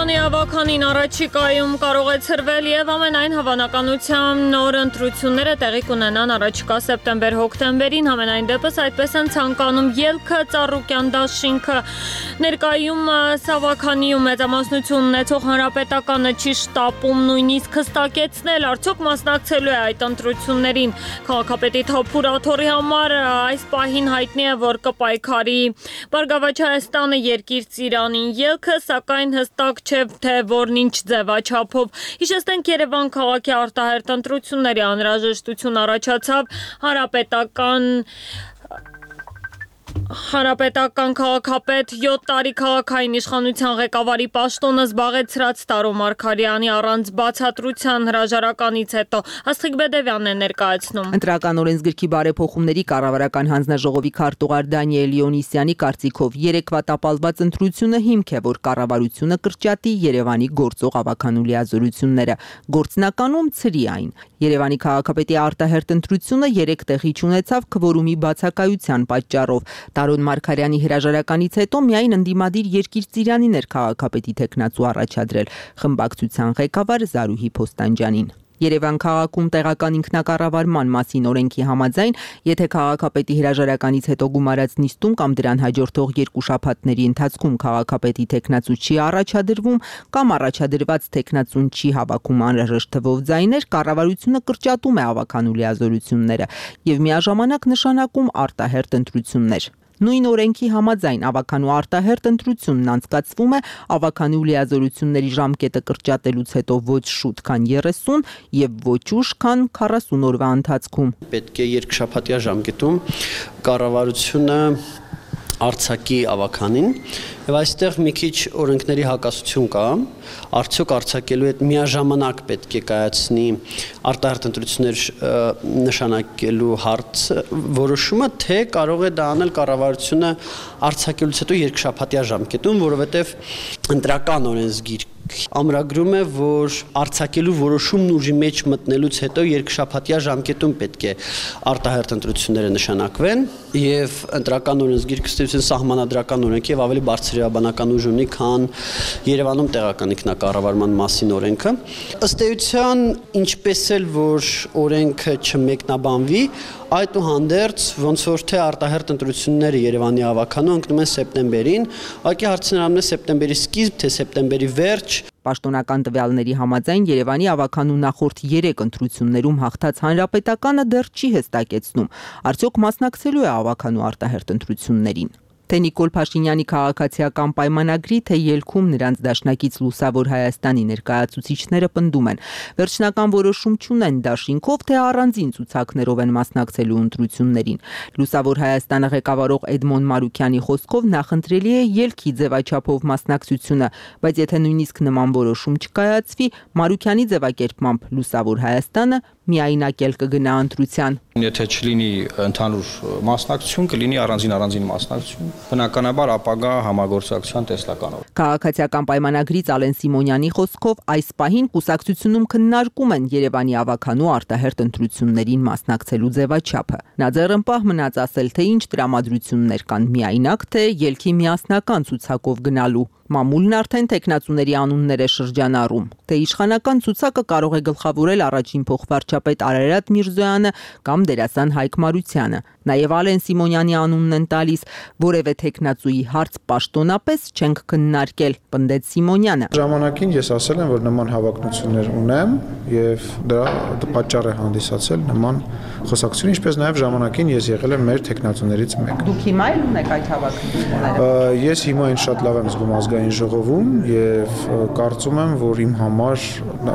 Երևանի ավականին առաջիկայում կարող է ցրվել եւ ամենայն հավանականությամբ նոր ընտրությունները տեղի կունենան առաջիկա սեպտեմբեր-հոկտեմբերին, համենայն դեպս այդպես են ցանկանում ելքը Ծառուկյան դաշինքը։ Ներկայում Սավաքանիում մեծամասնություն ունեցող հանրապետականը չի շտապում նույնիսկ հստակեցնել, արդյոք մասնակցելու է այդ ընտրություններին։ Քաղաքապետի Թափուր Աթոռի համար այս պահին հայտնի է, որ կպայքարի Բարգավաճ Հայաստանը Երկիր Ծիրանին ելքը, սակայն հստակ չէ, թե որն ինչ ձևաչափով։ Հիշեցնենք, Երևան քաղաքի արտահերթ ընտրությունների անհրաժեշտություն առաջացավ Հանրապետական քաղաքապետ 7 տարի քաղաքային իշխանության ղեկավարի պաշտոնը զբաղեցրած Տարո Մարգարյանի առանց բացատրության հրաժարականից հետո Աստղիկ Բեդևյանն է ներկայացնում։ Ընտրական օրենսգրքի բարեփոխումների կառավարական հանձնաժողովի քարտուղար Դանիել Լեոնիսյանի կարծիքով երեկվա տապալված ընտրությունը հիմք է, որ կառավարությունը կրճատի Երևանի գործող ավականու լիազորությունները, գործնականում ցրի այն։ Երևանի քաղաքապետի արտահերթ ընտրությունը 3 տեղի չունեցավ քվորումի բացակայության պատճառով։ Տարոն Մարգարյանի հրաժարականից հետո միայն ընդդիմադիր Երկիր Ծիրանին էր քաղաքապետի թեկնածու առաջադրել խմբակցության ղեկավար Զարուհի Փոստանջյանին։ Երևան քաղաքում տեղական ինքնակառավարման մասին օրենքի համաձայն, եթե քաղաքապետի հրաժարականից հետո գումարած նիստում կամ դրան հաջորդող 2 շաբաթների ընթացքում քաղաքապետի թեկնածու չի առաջադրվում կամ առաջադրված թեկնածուն չի հավաքում անհրաժեշտ թվով ձայներ, կառավարությունը կրճատում է ավականու լիազորությունները եւ միաժամանակ նշանակում արտահերթ ընտրություններ։ Նույն օրենքի համաձայն ավականու արտահերթ ընտրությունն անցկացվում է ավականու լիազորությունների ժամկետը կրճատելուց հետո ոչ շուտ, քան 30 եւ ոչ ուշ, քան 40 օրվա ընթացքում։ Պետք է երկշաբաթյա ժամկետում կառավարությունը արձակի ավականին եւ այստեղ մի քիչ օրենքների հակասություն կա, արդյոք արձակելու հետ միաժամանակ պետք է կայացնի արտահերթ ընտրություններ նշանակելու հարց որոշումը, թե կարող է դա անել կառավարությունը արձակելուց հետո երկշաբաթյա ժամկետում, որովհետեւ ընտրական օրենսգիր ամրագրում է, որ արձակելու որոշումն ուժի մեջ մտնելուց հետո երկշաբաթյա ժամկետում պետք է արտահերթ ընտրությունները նշանակվեն եւ ընտրական օրենսգիրքը ըստ սահմանադրական օրենք եւ ավելի բարձր իրավաբանական ուժ ունի, քան Երևանում տեղական ինքնակառավարման մասին օրենքը։ Ըստ էության, ինչպես էլ որ օրենքը չմեկնաբանվի, այդուհանդերձ ոնց որ թե արտահերթ ընտրությունները Երևանի ավականու ընկնում են սեպտեմբերին, ուղղակի հարցն է սեպտեմբերի սկիզբ, թե սեպտեմբերի վերջ։ Պաշտոնական տվյալների համաձայն Երևանի ավականու նախորդ 3 ընտրություններում հաղթած հանրապետականը դեռ չի հստակեցնում, արդյոք մասնակցելու է ավականու արտահերթ ընտրություններին։ Թե Նիկոլ Փաշինյանի քաղաքացիական պայմանագրի, թե ելքում նրանց դաշնակից Լուսավոր Հայաստանի ներկայացուցիչները պնդում են, վերջնական որոշում չունեն դաշինքով, թե առանձին ցուցակներով են մասնակցելու ընտրություններին։ Լուսավոր Հայաստանը ղեկավարող Էդմոն Մարուկյանի խոսքով նախընտրելի է ելքի ձևաչափով մասնակցությունը, բայց եթե նույնիսկ նման որոշում չկայացվի, Մարուկյանի ձևակերպմամբ Լուսավոր Հայաստանը միայնակել կգնա ընտրության։ Եթե չլինի ընդհանուր մասնակցություն, կլինի առանձին մասնակցություն, բնականաբար ապագա համագործակցության տեսլականով։ Քաղաքացիական պայմանագրից Ալեն Սիմոնյանի խոսքով այս պահին կուսակցությունում քննարկում են Երևանի ավականու արտահերթ ընտրություններին մասնակցելու ձևաչափը։ Նա ձեռնպահ մնաց ասել, թե ինչ տրամադրություններ կան միայնակ, թե ելքի միասնական ցուցակով գնալու։ Մամուլն արդեն տեխնացուների անուններ է շրջանառում, թե իշխանական ցուցակը կարող է գլխավորել առաջին փոխվարչապետ Արարատ Միրզոյանը կամ դերասան Հայկ Մարությանը։ Նաև Ալեն Սիմոնյանի անունն են տալիս, որևէ տեխնացուի հարց պաշտոնապես չենք քննարկել, պնդեց Սիմոնյանը։ Ժամանակին ես ասել եմ, որ նման հավակնություններ ունեմ եւ դրա պատճառ է հանդիսացել նման խոսակցություն, ինչպես նաև ժամանակին ես եղել եմ մեր տեխնացուներից մեկը։ Դուք հիմա էլ ունեք այդ հավակնությունները։ Ես հիմա այն շատ լավ եմ զգում ազգային ժողովում եւ կարծում եմ, որ իմ համար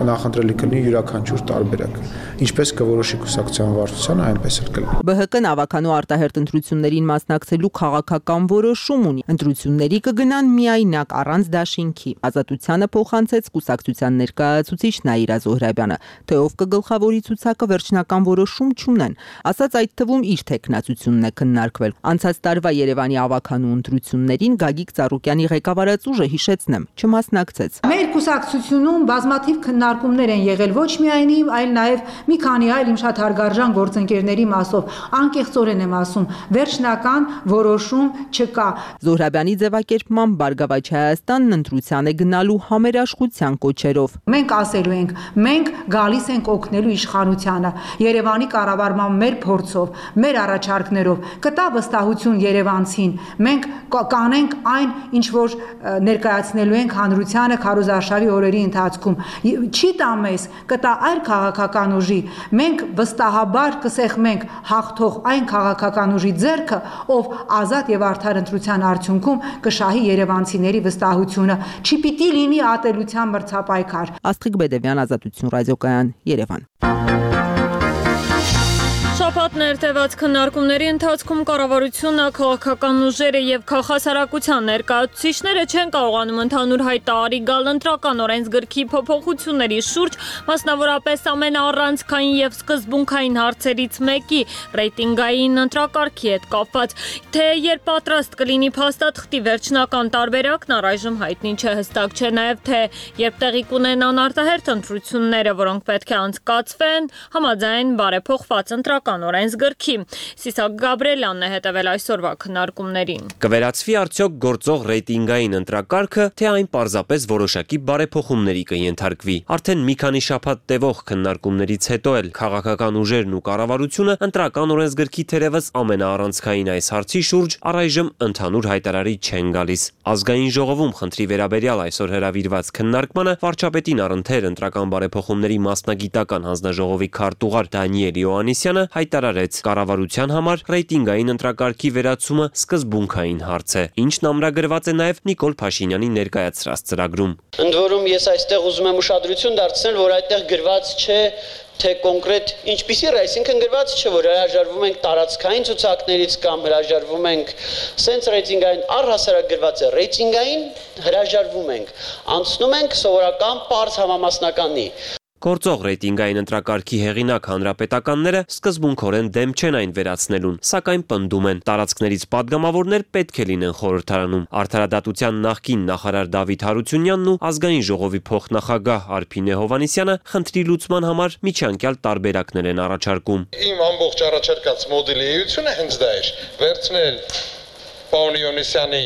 նախընտրելի կլինի յուրաքանչյուր տարբերակ։ Ինչպես կորոշի կուսակցության վարչությունը, այնպես էլ կլինի։ ԲՀԿ-ն ավականու արտահերթ ընտրություններին մասնակցելու քաղաքական որոշում ունի։ Ընտրությունների կգնան միայնակ առանց դաշինքի։ Ազատությանը փոխանցեց կուսակցության ներկայացուցիչ Նաիրա Զոհրաբյանը, թե ով կգլխավորի ցուցակը վերջնական որոշում չունեն։ Ասած այդ թվում իր տեխնացությունն է քննարկվել։ Անցած տարվա Երևանի ավականու ընտրություններին Գագիկ Ծառուկյանի ղեկավարած ուժը, հիշեցնեմ, չմասնակցեց։ Մեր կուսակցությունում բազմաթիվ քննարկումներ են եղել ոչ միայն իմ, այլ նաև մի քանի այլ իմ շատ հարգարժան գործընկերների մասով, անկեղծորեն եմ ասում, վերջնական որոշում չկա։ Զոհրաբյանի ձևակերպմամբ Բարգավաճ Հայաստանն ընտրության է գնալու համերաշխության կոչերով։ Մենք ասելու ենք, մենք գալիս ենք օգնելու իշխանությանը, Երևանի կառավարման մեր փորձով, մեր առաջարկներով, կտա վստահություն երևանցին։ Մենք կանենք այն, ինչ որ ներկայացնելու ենք հանրությանը քարոզարշավի օրերի ընթացքում։ Չի տա մեզ, կտա այլ քաղաքական ուժի։ Մենք վստահաբար կսեղմենք հաղթող այն քաղաքական ուժի ձեռքը, ով ազատ եւ արդար ընտրության արդյունքում կշահի երևանցիների վստահությունը։ Չպիտի լինի ատելության մրցապայքար։ Աստղիկ Բեդևյան, Ազատություն ռադիոկայան, Երևան։ Շաբաթ ներթևած քննարկումների ընթացքում կառավարությունը, քաղաքական ուժերը եւ քաղաքասարակության ներկայացուցիչները չեն կարողանում ընդհանուր հայտարարի գալ ընտրական օրենսգրքի փոփոխությունների շուրջ, մասնավորապես ամենաառանցքային եւ սկզբունքային հարցերից մեկի ռեյտինգային ընտրակարգի հետ կապված, թե երբ պատրաստ կլինի փաստաթղթի վերջնական տարբերակն առայժմ հայտնի չէ, հստակ չէ նաեւ թե երբ տեղի կունենան արտահերթ ընտրությունները, որոնք պետք է անցկացվեն համաձայն բարեփոխված ընտրական օրենսգրքի։ Սիսակ Գաբրելյանն է հետևել այսօրվա քննարկումներին։ Կվերացվի արդյոք գործող ռեյտինգային ընտրակարգը, թե այն պարզապես որոշակի բարեփոխումների կենթարկվի։ Արդեն մի քանի շաբաթ տևող քննարկումներից հետո էլ քաղաքական ուժերն ու կառավարությունը ընտրական օրենսգրքի թերևս ամենաառանցքային այս հարցի շուրջ առայժմ ընդհանուր հայտարարի չեն գալիս։ Ազգային ժողովում խնդրի վերաբերյալ այսօր հրավիրված քննարկմանը վարչապետին առընթեր ընտրական բարեփոխումների մասնագիտական հանձնաժողովի քարտուղար Դանիել Իոաննիսյանը հայտարարեց, կառավարության համար ռեյտինգային ընտրակարգի վերացումը սկզբունքային հարց է, ինչն ամրագրված է նաև Նիկոլ Փաշինյանի ներկայացրած ծրագրում։ Ընդ որում ես այստեղ ուզում եմ ուշադրություն դարձնել, որ այդտեղ գրված չէ թե կոնկրետ ինչպիսի ռ, այսինքն գրված չէ, որ հրաժարվում ենք տարածքային ցուցակներից կամ հրաժարվում ենք սենց ռեյտինգային, առհասարակ գրված է ռեյտինգային, հրաժարվում ենք, անցնում ենք սովորական պարզ համամասնականի։ Գործող ռեյտինգային ընտրակարգի հեղինակ հանրապետականները սկզբունքորեն դեմ չեն այն վերացնելուն, սակայն պնդում են, տարածքներից падգամավորներ պետք է լինեն խորհրդարանում։ Արդարադատության նախկին նախարար Դավիթ Հարությունյանն ու ազգային ժողովի փոխնախագահ Արփինե Հովհաննիսյանը խնդրի լուծման համար միջանկյալ տարբերակներ են առաջարկում։ Իմ ամբողջ առաջարկած մոդելի էությունը հենց դա էր, վերցնել պարոն Իոնիսյանի,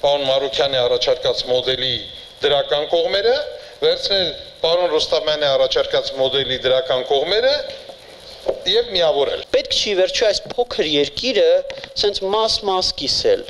պարոն Մարուկյանի առաջարկած մոդելի դրական կողմերը, վերցնել պարոն Ռոստամյանի առաջարկած մոդելի դրական կողմերը եւ միավորել։ Պետք չի վերջո այս փոքր երկիրը սենց մաս կիսել։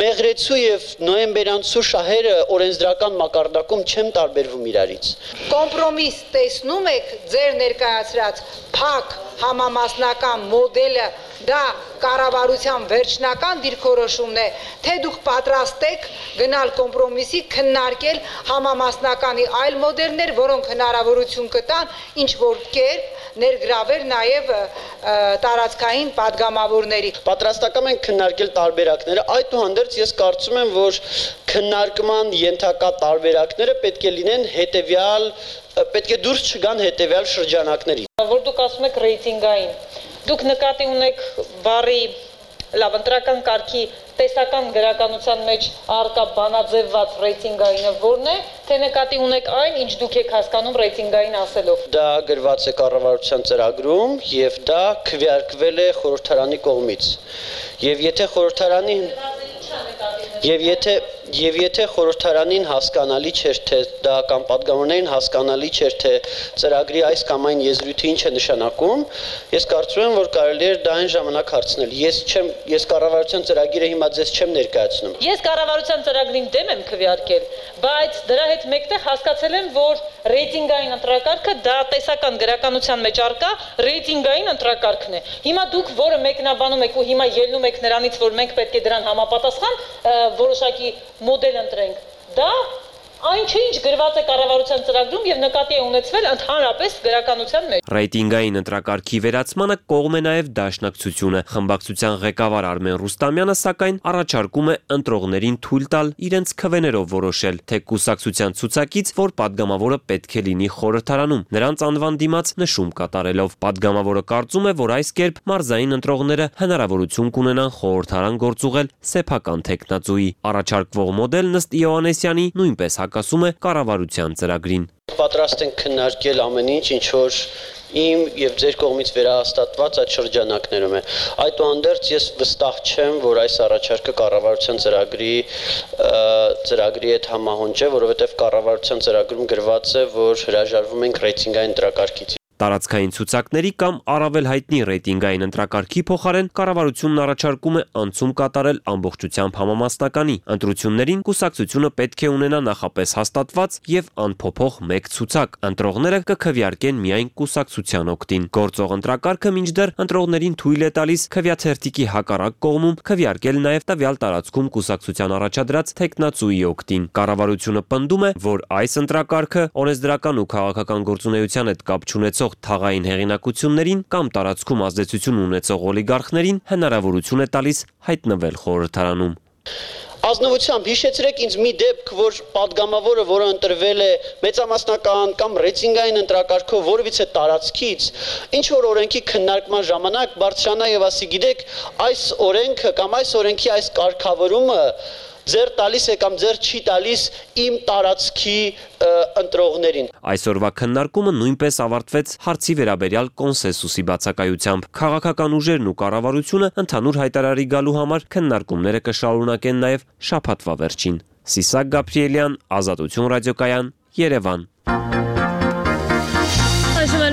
Մեղրեցու եւ նոյեմբերանցու շահերը օրենսդրական մակարդակում չեն տարբերվում իրարից։ Կոմպրոմիս տեսնում եք ձեր ներկայացրած փակ համամասնական մոդելը, դա կառավարության վերջնական դիրքորոշումն է, թե դուք պատրաստ եք գնալ կոմպրոմիսի, քննարկել համամասնականի այլ մոդելներ, որոնք հնարավորություն կտան ինչ որ կերպ ներգրավել նաև տարածքային падգամավորների։ Պատրաստական ենք քննարկել տարբերակները, այդուհանդերձ ես կարծում եմ, որ քննարկման ենթակա տարբերակները պետք է լինեն հետևյալ, պետք է դուրս չգան հետևյալ շրջանակների։ Որ դուք ասում եք ռեյտինգային, դուք նկատի ունեք բարի լավ ընտրական կարգի տեսական գրականության մեջ առկա բանաձևված ռեյտինգայինը որն է, թե նկատի ունեք այն, ինչ դուք եք հասկանում ռեյտինգային ասելով։ Դա գրված է կառավարության ծրագրում եւ դա քվեարկվել է խորհրդարանի կողմից։ Եվ եթե խորհրդարանի Եվ եթե խորհրդարանին հասկանալի չէր, թե դա կամ падգամավորներին հասկանալի չէր, թե ծրագրի այս կամ այն եզրույթը ինչ է նշանակում, ես կարծում եմ, որ կարելի է դա այն ժամանակ հարցնել։ Ես կառավարության ծրագիրը հիմա ձեզ չեմ ներկայացնում։ Ես կառավարության ծրագրին դեմ եմ քվեարկել, բայց դրա հետ մեկտեղ հասկացել եմ, որ ռեյտինգային ընտրակարգը դա տեսական գրականության մեջ առկա ռեյտինգային ընտրակարգն է։ Հիմա դուք որը մեկնաբանում եք ու հիմա ելնում եք նրանից, որ մենք պետք է դրան համապատասխան որոշակի մոդել ընտրենք, դա այն չէ, ինչ գրված է կառավարության ծրագրում եւ նկատի է ունեցվել ընդհանրապես գրականության մեջ։ Ռեյտինգային ընտրակարգի վերացմանը կողմ է նաև Դաշնակցությունը։ Խմբակցության ղեկավար Արմեն Ռուստամյանը սակայն առաջարկում է ընտրողներին թույլ տալ իրենց քվեներով որոշել, թե կուսակցության ցուցակից որ падգամավորը պետք է լինի խորհրդարանում, նրանց անվան դիմաց նշում կատարելով։ Падգամավորը կարծում է, որ այս կերպ մարզային ընտրողները հնարավորություն կունենան խորհրդարան գործուղել սեփական տեխնացուի։ Առաջարկվող մոդելն ըստ Իոաննիսյանի նույնպես հակասում է կառավարության ծրագրին։ Պատրաստ ենք քննարկել ամեն ինչ, ինչ որ իմ եւ ձեր կողմից վերահաստատված այդ շրջանակներում է։ Այդուհանդերձ ես վստահ չեմ, որ այս առաջարկը կառավարության ծրագրի հետ համահունչ է, որովհետեւ կառավարության ծրագրում գրված է, որ հրաժարվում ենք ռեյտինգային ընտրակարգից։ Տարածքային ցուցակների կամ առավել հայտնի ռեյտինգային ընտրակարգի փոխարեն կառավարությունն առաջարկում է անցում կատարել ամբողջությամբ համամասնականի։ Ընտրություններին կուսակցությունը պետք է ունենա նախապես հաստատված եւ անփոփոխ մեկ ցուցակ։ Ընտրողները կքվեարկեն միայն կուսակցության օգտին։ Գործող ընտրակարգը մինչդեռ ընտրողներին թույլ է տալիս քվեաթերթիկի հակառակ կողմում քվեարկել նաեւ տվյալ տարածքում կուսակցության առաջադրած տեխնացուի օգտին։ Կառավարությունը պնդում է, որ այս ընտրակարգը օրենսդրական ու քաղաքական գործունեության հետ կապ չունեցող թաղային հեղինակություններին կամ տարածքում ազդեցություն ունեցող օլիգարխներին հնարավորություն է տալիս հայտնվել խորհրդարանում։ Ազնվությամբ հիշեցրեք ինձ մի դեպք, որ падգամավորը, որը ընտրվել է մեծամասնական կամ ռեյտինգային ընտրակարգով որևիցե տարածքից, ինչ որ օրենքի քննարկման ժամանակ բարձրանա եւ ասի, գիտեք, այս օրենքը կամ այս օրենքի այս կարգավորումը ձեր տալիս է կամ ձեր չի տալիս իմ տարածքի ընտրողներին։ Այսօրվա քննարկումը նույնպես ավարտվեց հարցի վերաբերյալ կոնսենսուսի բացակայությամբ։ Քաղաքական ուժերն ու կառավարությունը ընդհանուր հայտարարի գալու համար քննարկումները կշարունակեն նաև շաբաթվա վերջին։ Սիսակ Գաբրիելյան, Ազատություն ռադիոկայան, Երևան։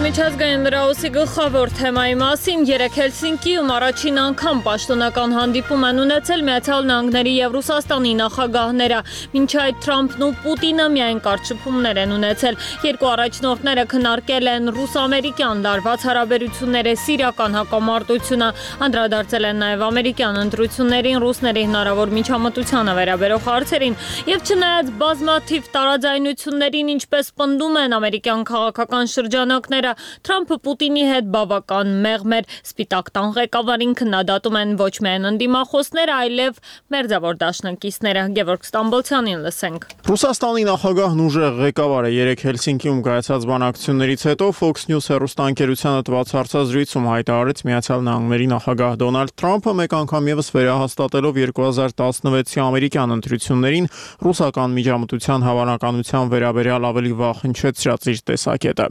Միջազգային լրահոսի գլխավոր թեմայի մասին երեկ Հելսինկիում առաջին անգամ պաշտոնական հանդիպում են ունեցել Միացյալ Նահանգների և Ռուսաստանի նախագահները։ Մինչ այդ Թրամփն ու Պուտինը միայն կարճ շփումներ են ունեցել։ Երկու առաջնորդները քննարկել են ռուս-ամերիկյան լարված հարաբերությունները, սիրիական հակամարտությունը, անդրադարձել են նաև ամերիկյան ընտրություններին, ռուսների հնարավոր միջամտությանը վերաբերող հարցերին։ Եվ չնայած բազմաթիվ տարաձայնություններին, ինչպես պնդում են ամերիկյան քաղաքական շրջանակները, Թրամփը Պուտինի հետ բավական մեղմ էր։ Սպիտակ տան ղեկավարին քննադատում են ոչ միայն ընդդիմախոսները, այլև մերձավոր դաշնակիցները։ Գևորգ Ստամբոլցյանին լսենք։ Ռուսաստանի նախագահն ուժեղ ղեկավարը երեկ Հելսինկիում կայացած բանակցություններից հետո Fox News հեռուստաընկերությանը տված հարցազրույցում հայտարարեց Միացյալ Նահանգների նախագահ Դոնալդ Թրամփը մեկ անգամ եւս վերահաստատելով 2016-ի ամերիկյան ընտրություններին ռուսական միջամտության հավանականության վերաբերյալ ավելի վաղ հնչեցրած իր տեսակետը։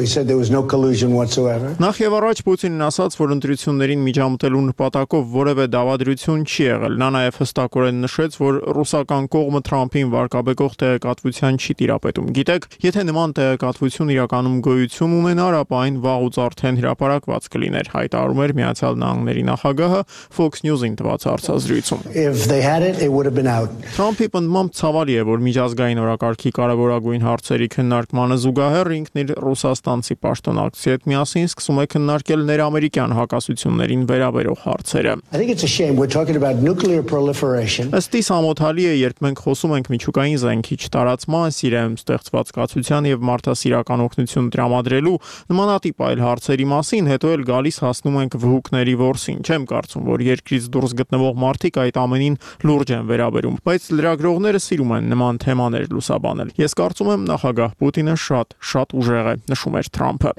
Նախ եւ առաջ Պուտինն ասաց, որ ընտրություններին միջամտելու նպատակով որևէ դավադրություն չի եղել։ Նա նաեւ հստակորեն նշեց, որ ռուսական կողմը Թրամփին վարկաբեկող տեղեկատվության չի տիրապետում։ Գիտեք, եթե նման տեղեկատվություն իրականում գոյություն ունենար, ապա այն վաղուց արդեն հրապարակված կլիներ, հայտարարում էր Միացյալ Նահանգների նախագահը Fox News-ին տված հարցազրույցում։ Թրամփի պնդմամբ ցավալի է, որ միջազգային օրակարգի կարևորագույն հարցերի քննարկմանը զուգահեռ ինքն իր ռուսաստանցի պաշտոնակցի հետ միասին սկսում է քննարկել ներամերիկյան հակասություններին վերաբերող հարցերը։ Ըստ իս ամոթալի է, երբ մենք խոսում ենք միջուկային զենքի չտարածման, Սիրիայում ստեղծված կացության եւ մարդասիրական օգնություն տրամադրելու նմանատիպ այլ հարցերի մասին, հետո էլ գալիս հասնում ենք վհուկների ворսին։ Չեմ կարծում, որ երկրից դուրս գտնվող մարդիկ այդ ամենին լուրջ են վերաբերում, բայց լրագրողները սիրում են նման թեմաներ լուսաբանել։ Ես կարծում եմ նախագահ Պուտինը շատ ուժեղ է, նշում էր Թրամփը։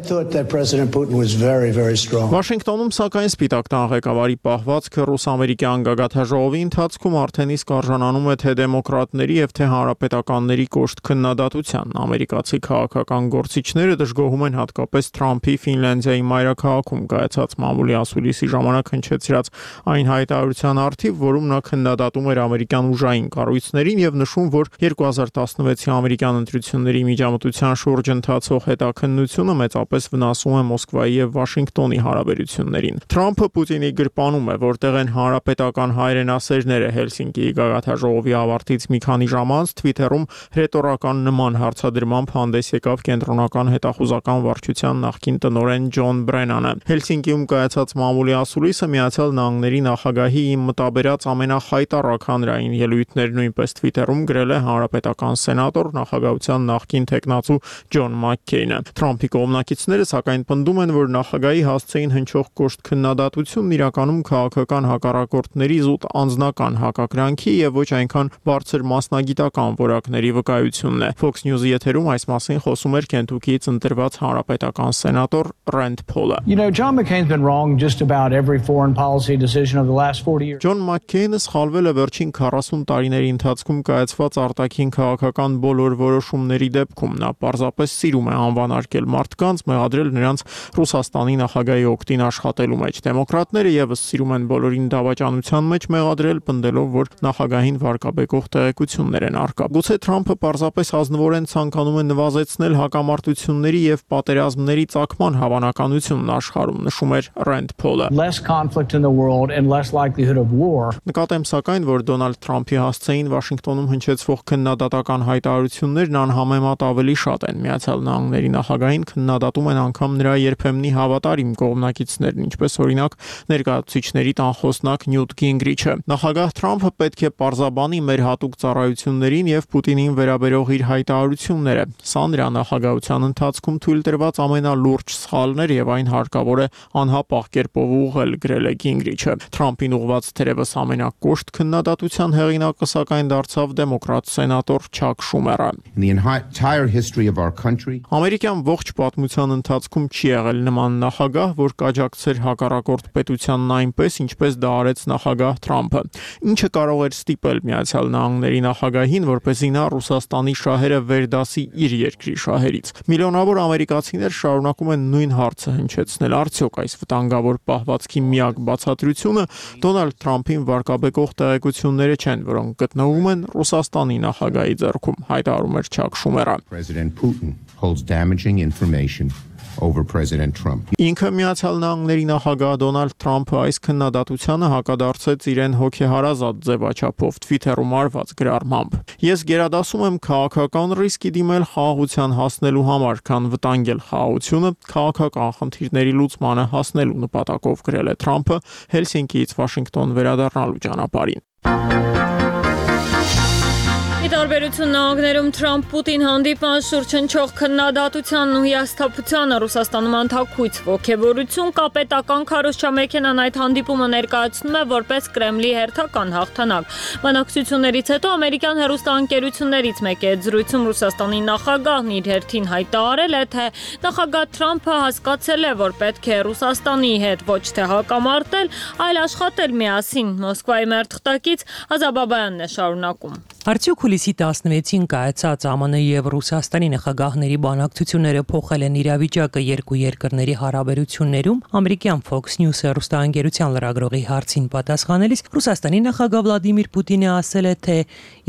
Վաշինգտոնում սակայն Սպիտակ տան ղեկավարի պահվածքը ռուս-ամերիկյան գագաթաժողովի ընթացքում արդեն իսկ արժանանում է թե դեմոկրատների եւ թե հանրապետականների կոշտ քննադատության։ Ամերիկացի քաղաքական գործիչները դժգոհում են հատկապես Թրամփի Ֆինլանդիայի մայրաքաղաքում կայացած մամուլի ասուլիսի ժամանակ հնչեցրած այն հայտարարության առթիվ, որում նա քննադատում էր ամերիկյան ուժային կառույցներին եւ նշում, որ 2016-ի ամերիկյան ընտրությունների միջամտության շուրջ ընթացող հետաքննությունը մեծապես վնասում է Մոսկվայի եւ Վաշինգտոնի հարաբերություններին։ Թրամփը Պուտինի գրպանում է, որտեղ են հանրապետական հայրենասերները Հելսինկիի գագաթաժողովի ավարտից մի քանի ժամ անց Twitter-ում հրետորական նման հարցադրմամբ հանդես եկավ կենտրոնական հետախուզական վարչության նախկին տնօրեն Ջոն Բրենանը։ Հելսինկիում կայացած մամուլի ասուլիսը Միացյալ Նահանգների նախագահի մտաբերած ամենախայտառակ հանրային ելույթներ նույնպես Twitter-ում գրել է հանրապետական սենատոր նախագահության նախկին տեխնացու Ջոն Մաքքեյնը։ Թրամփի կողմնակիցները սակայն պնդում են, որ նախագահի հասցեին հնչող կոշտ քննադատությունն իրականում քաղաքական հակառակորդների զուտ անձնական հակակրանքի եւ ոչ այնքան բարձր մասնագիտական որակների վկայությունն է։ Fox News-ի եթերում այս մասին խոսում էր Քենթուքիից ընտրված հանրապետական սենատոր Ռենդ Փոլը։ John McCain's been wrong just about every foreign policy decision of the last 40 years. Ջոն Մաքքեյնը սխալվել է վերջին 40 տարիների ընթացքում կայացված արտաքին քաղաքական բոլոր որոշումների դեպքում։ Նա պարզապես սիրում է անվանարկել մարդկանց, մեղադրել նրանց Ռուսաստանի նախագահի օգտին աշխատելու մեջ։ Դեմոկրատները եւս սիրում են բոլորին դավաճանության մեջ մեղադրել, պնդելով, որ նախագահին վարկաբեկող տեղեկություններ են առկա։ Գուցե Թրամփը պարզապես ազնվորեն ցանկանում է նվազեցնել հակամարտությունների եւ պատերազմների ծագման հավանականությունն աշխարհում, նշում էր Ռենդ Փոլը։ Less conflict in the world and less likelihood of war. Նկատեմ սակայն, որ Դոնալդ Թրամփի հասցեին Վաշինգտոնում հնչեցվող քննադատական հայտարարություններն անհամեմատ ավելի շատ են։ Միացյալ Նահանգների նախագահին քննադատում են անգամ նրա երբեմնի հավատարիմ կողմնակիցներն, ինչպես օրինակ ներկայացուցիչների տանխոսնակ Նյուտ Գինգրիչը։ Նախագահ Թրամփը պետք է պարզաբանի մեր հատուկ ծառայություններին եւ Պուտինին վերաբերող իր հայտարարությունները։ Սա նրա նախագահության ընթացքում թույլ տրված ամենալուրջ սխալն էր եւ այն հարկավոր է անհապաղ կերպով ուղղել, գրել է Գինգրիչը։ Թրամփին ուղղված թերևս ամենակոշտ քննադատության հեղինակը սակայն դարձավ դեմոկրատ սենատոր Չակ Շումերը։ Ամերիկյան ողջ պատմության պատմության ընթացքում չի եղել նման նախագահ, որ կաջակցեր հակառակորդ պետությանն այնպես, ինչպես դա արեց նախագահ Թրամփը։ Ինչը կարող էր ստիպել Միացյալ Նահանգների նախագահին, որպեսզի նա Ռուսաստանի շահերը վերդասի իր երկրի շահերից։ Միլիոնավոր ամերիկացիներ շարունակում են նույն հարցը հնչեցնել. արդյոք այս վտանգավոր պահվածքի միակ բացատրությունը Դոնալդ Թրամփին վարկաբեկող տեղեկությունները չեն, որոնք գտնվում են Ռուսաստանի նախագահի ձեռքում, հայտարարում էր Չակ Շումերը։ President Putin holds damaging information over President Trump. Ինքը Միացյալ Նահանգների նախագահ Դոնալդ Թրամփը այս քննադատությանը հակադարձեց իրեն հոգեհարազատ ձևաչափով Twitter-ում արված գրառմամբ։ Ես գերադասում եմ քաղաքական ռիսկի դիմել խաղաղության հասնելու համար, քան վտանգել խաղաղությունը քաղաքական խնդիրների լուծմանը հասնելու նպատակով գրել է Թրամփը Հելսինկիից Վաշինգտոն վերադառնալու ճանապարհին։ Ի տարբերություն նահանգներում Թրամփ-Պուտին հանդիպման շուրջ հնչող քննադատությանն ու հիասթափությանը Ռուսաստանում անթաքույց ոգևորություն կա պետական քարոզչամեքենան այդ հանդիպումը ներկայացնում է որպես Կրեմլի հերթական հաղթանակ։ Բանակցություններից հետո ամերիկյան հեռուստաընկերություններից մեկի հետ զրույցում Ռուսաստանի նախագահն իր հերթին հայտարարել է, թե նախագահ Թրամփը հասկացել է, որ պետք է Ռուսաստանի հետ ոչ թե հակամարտել, այլ աշխատել միասին։ Մոսկվայի մերթխտակից Ազաբաբայանն է շարունակում։ Արդյոք հուլիսի 16-ին կայացած ԱՄՆ եւ Ռուսաստանի նախագահների բանակցությունները փոխել են իրավիճակը երկու երկրների հարաբերություններում։ Ամերիկյան Fox News հեռուստաընկերության լրագրողի հարցին պատասխանելիս Ռուսաստանի նախագահ Վլադիմիր Պուտինը ասել է, թե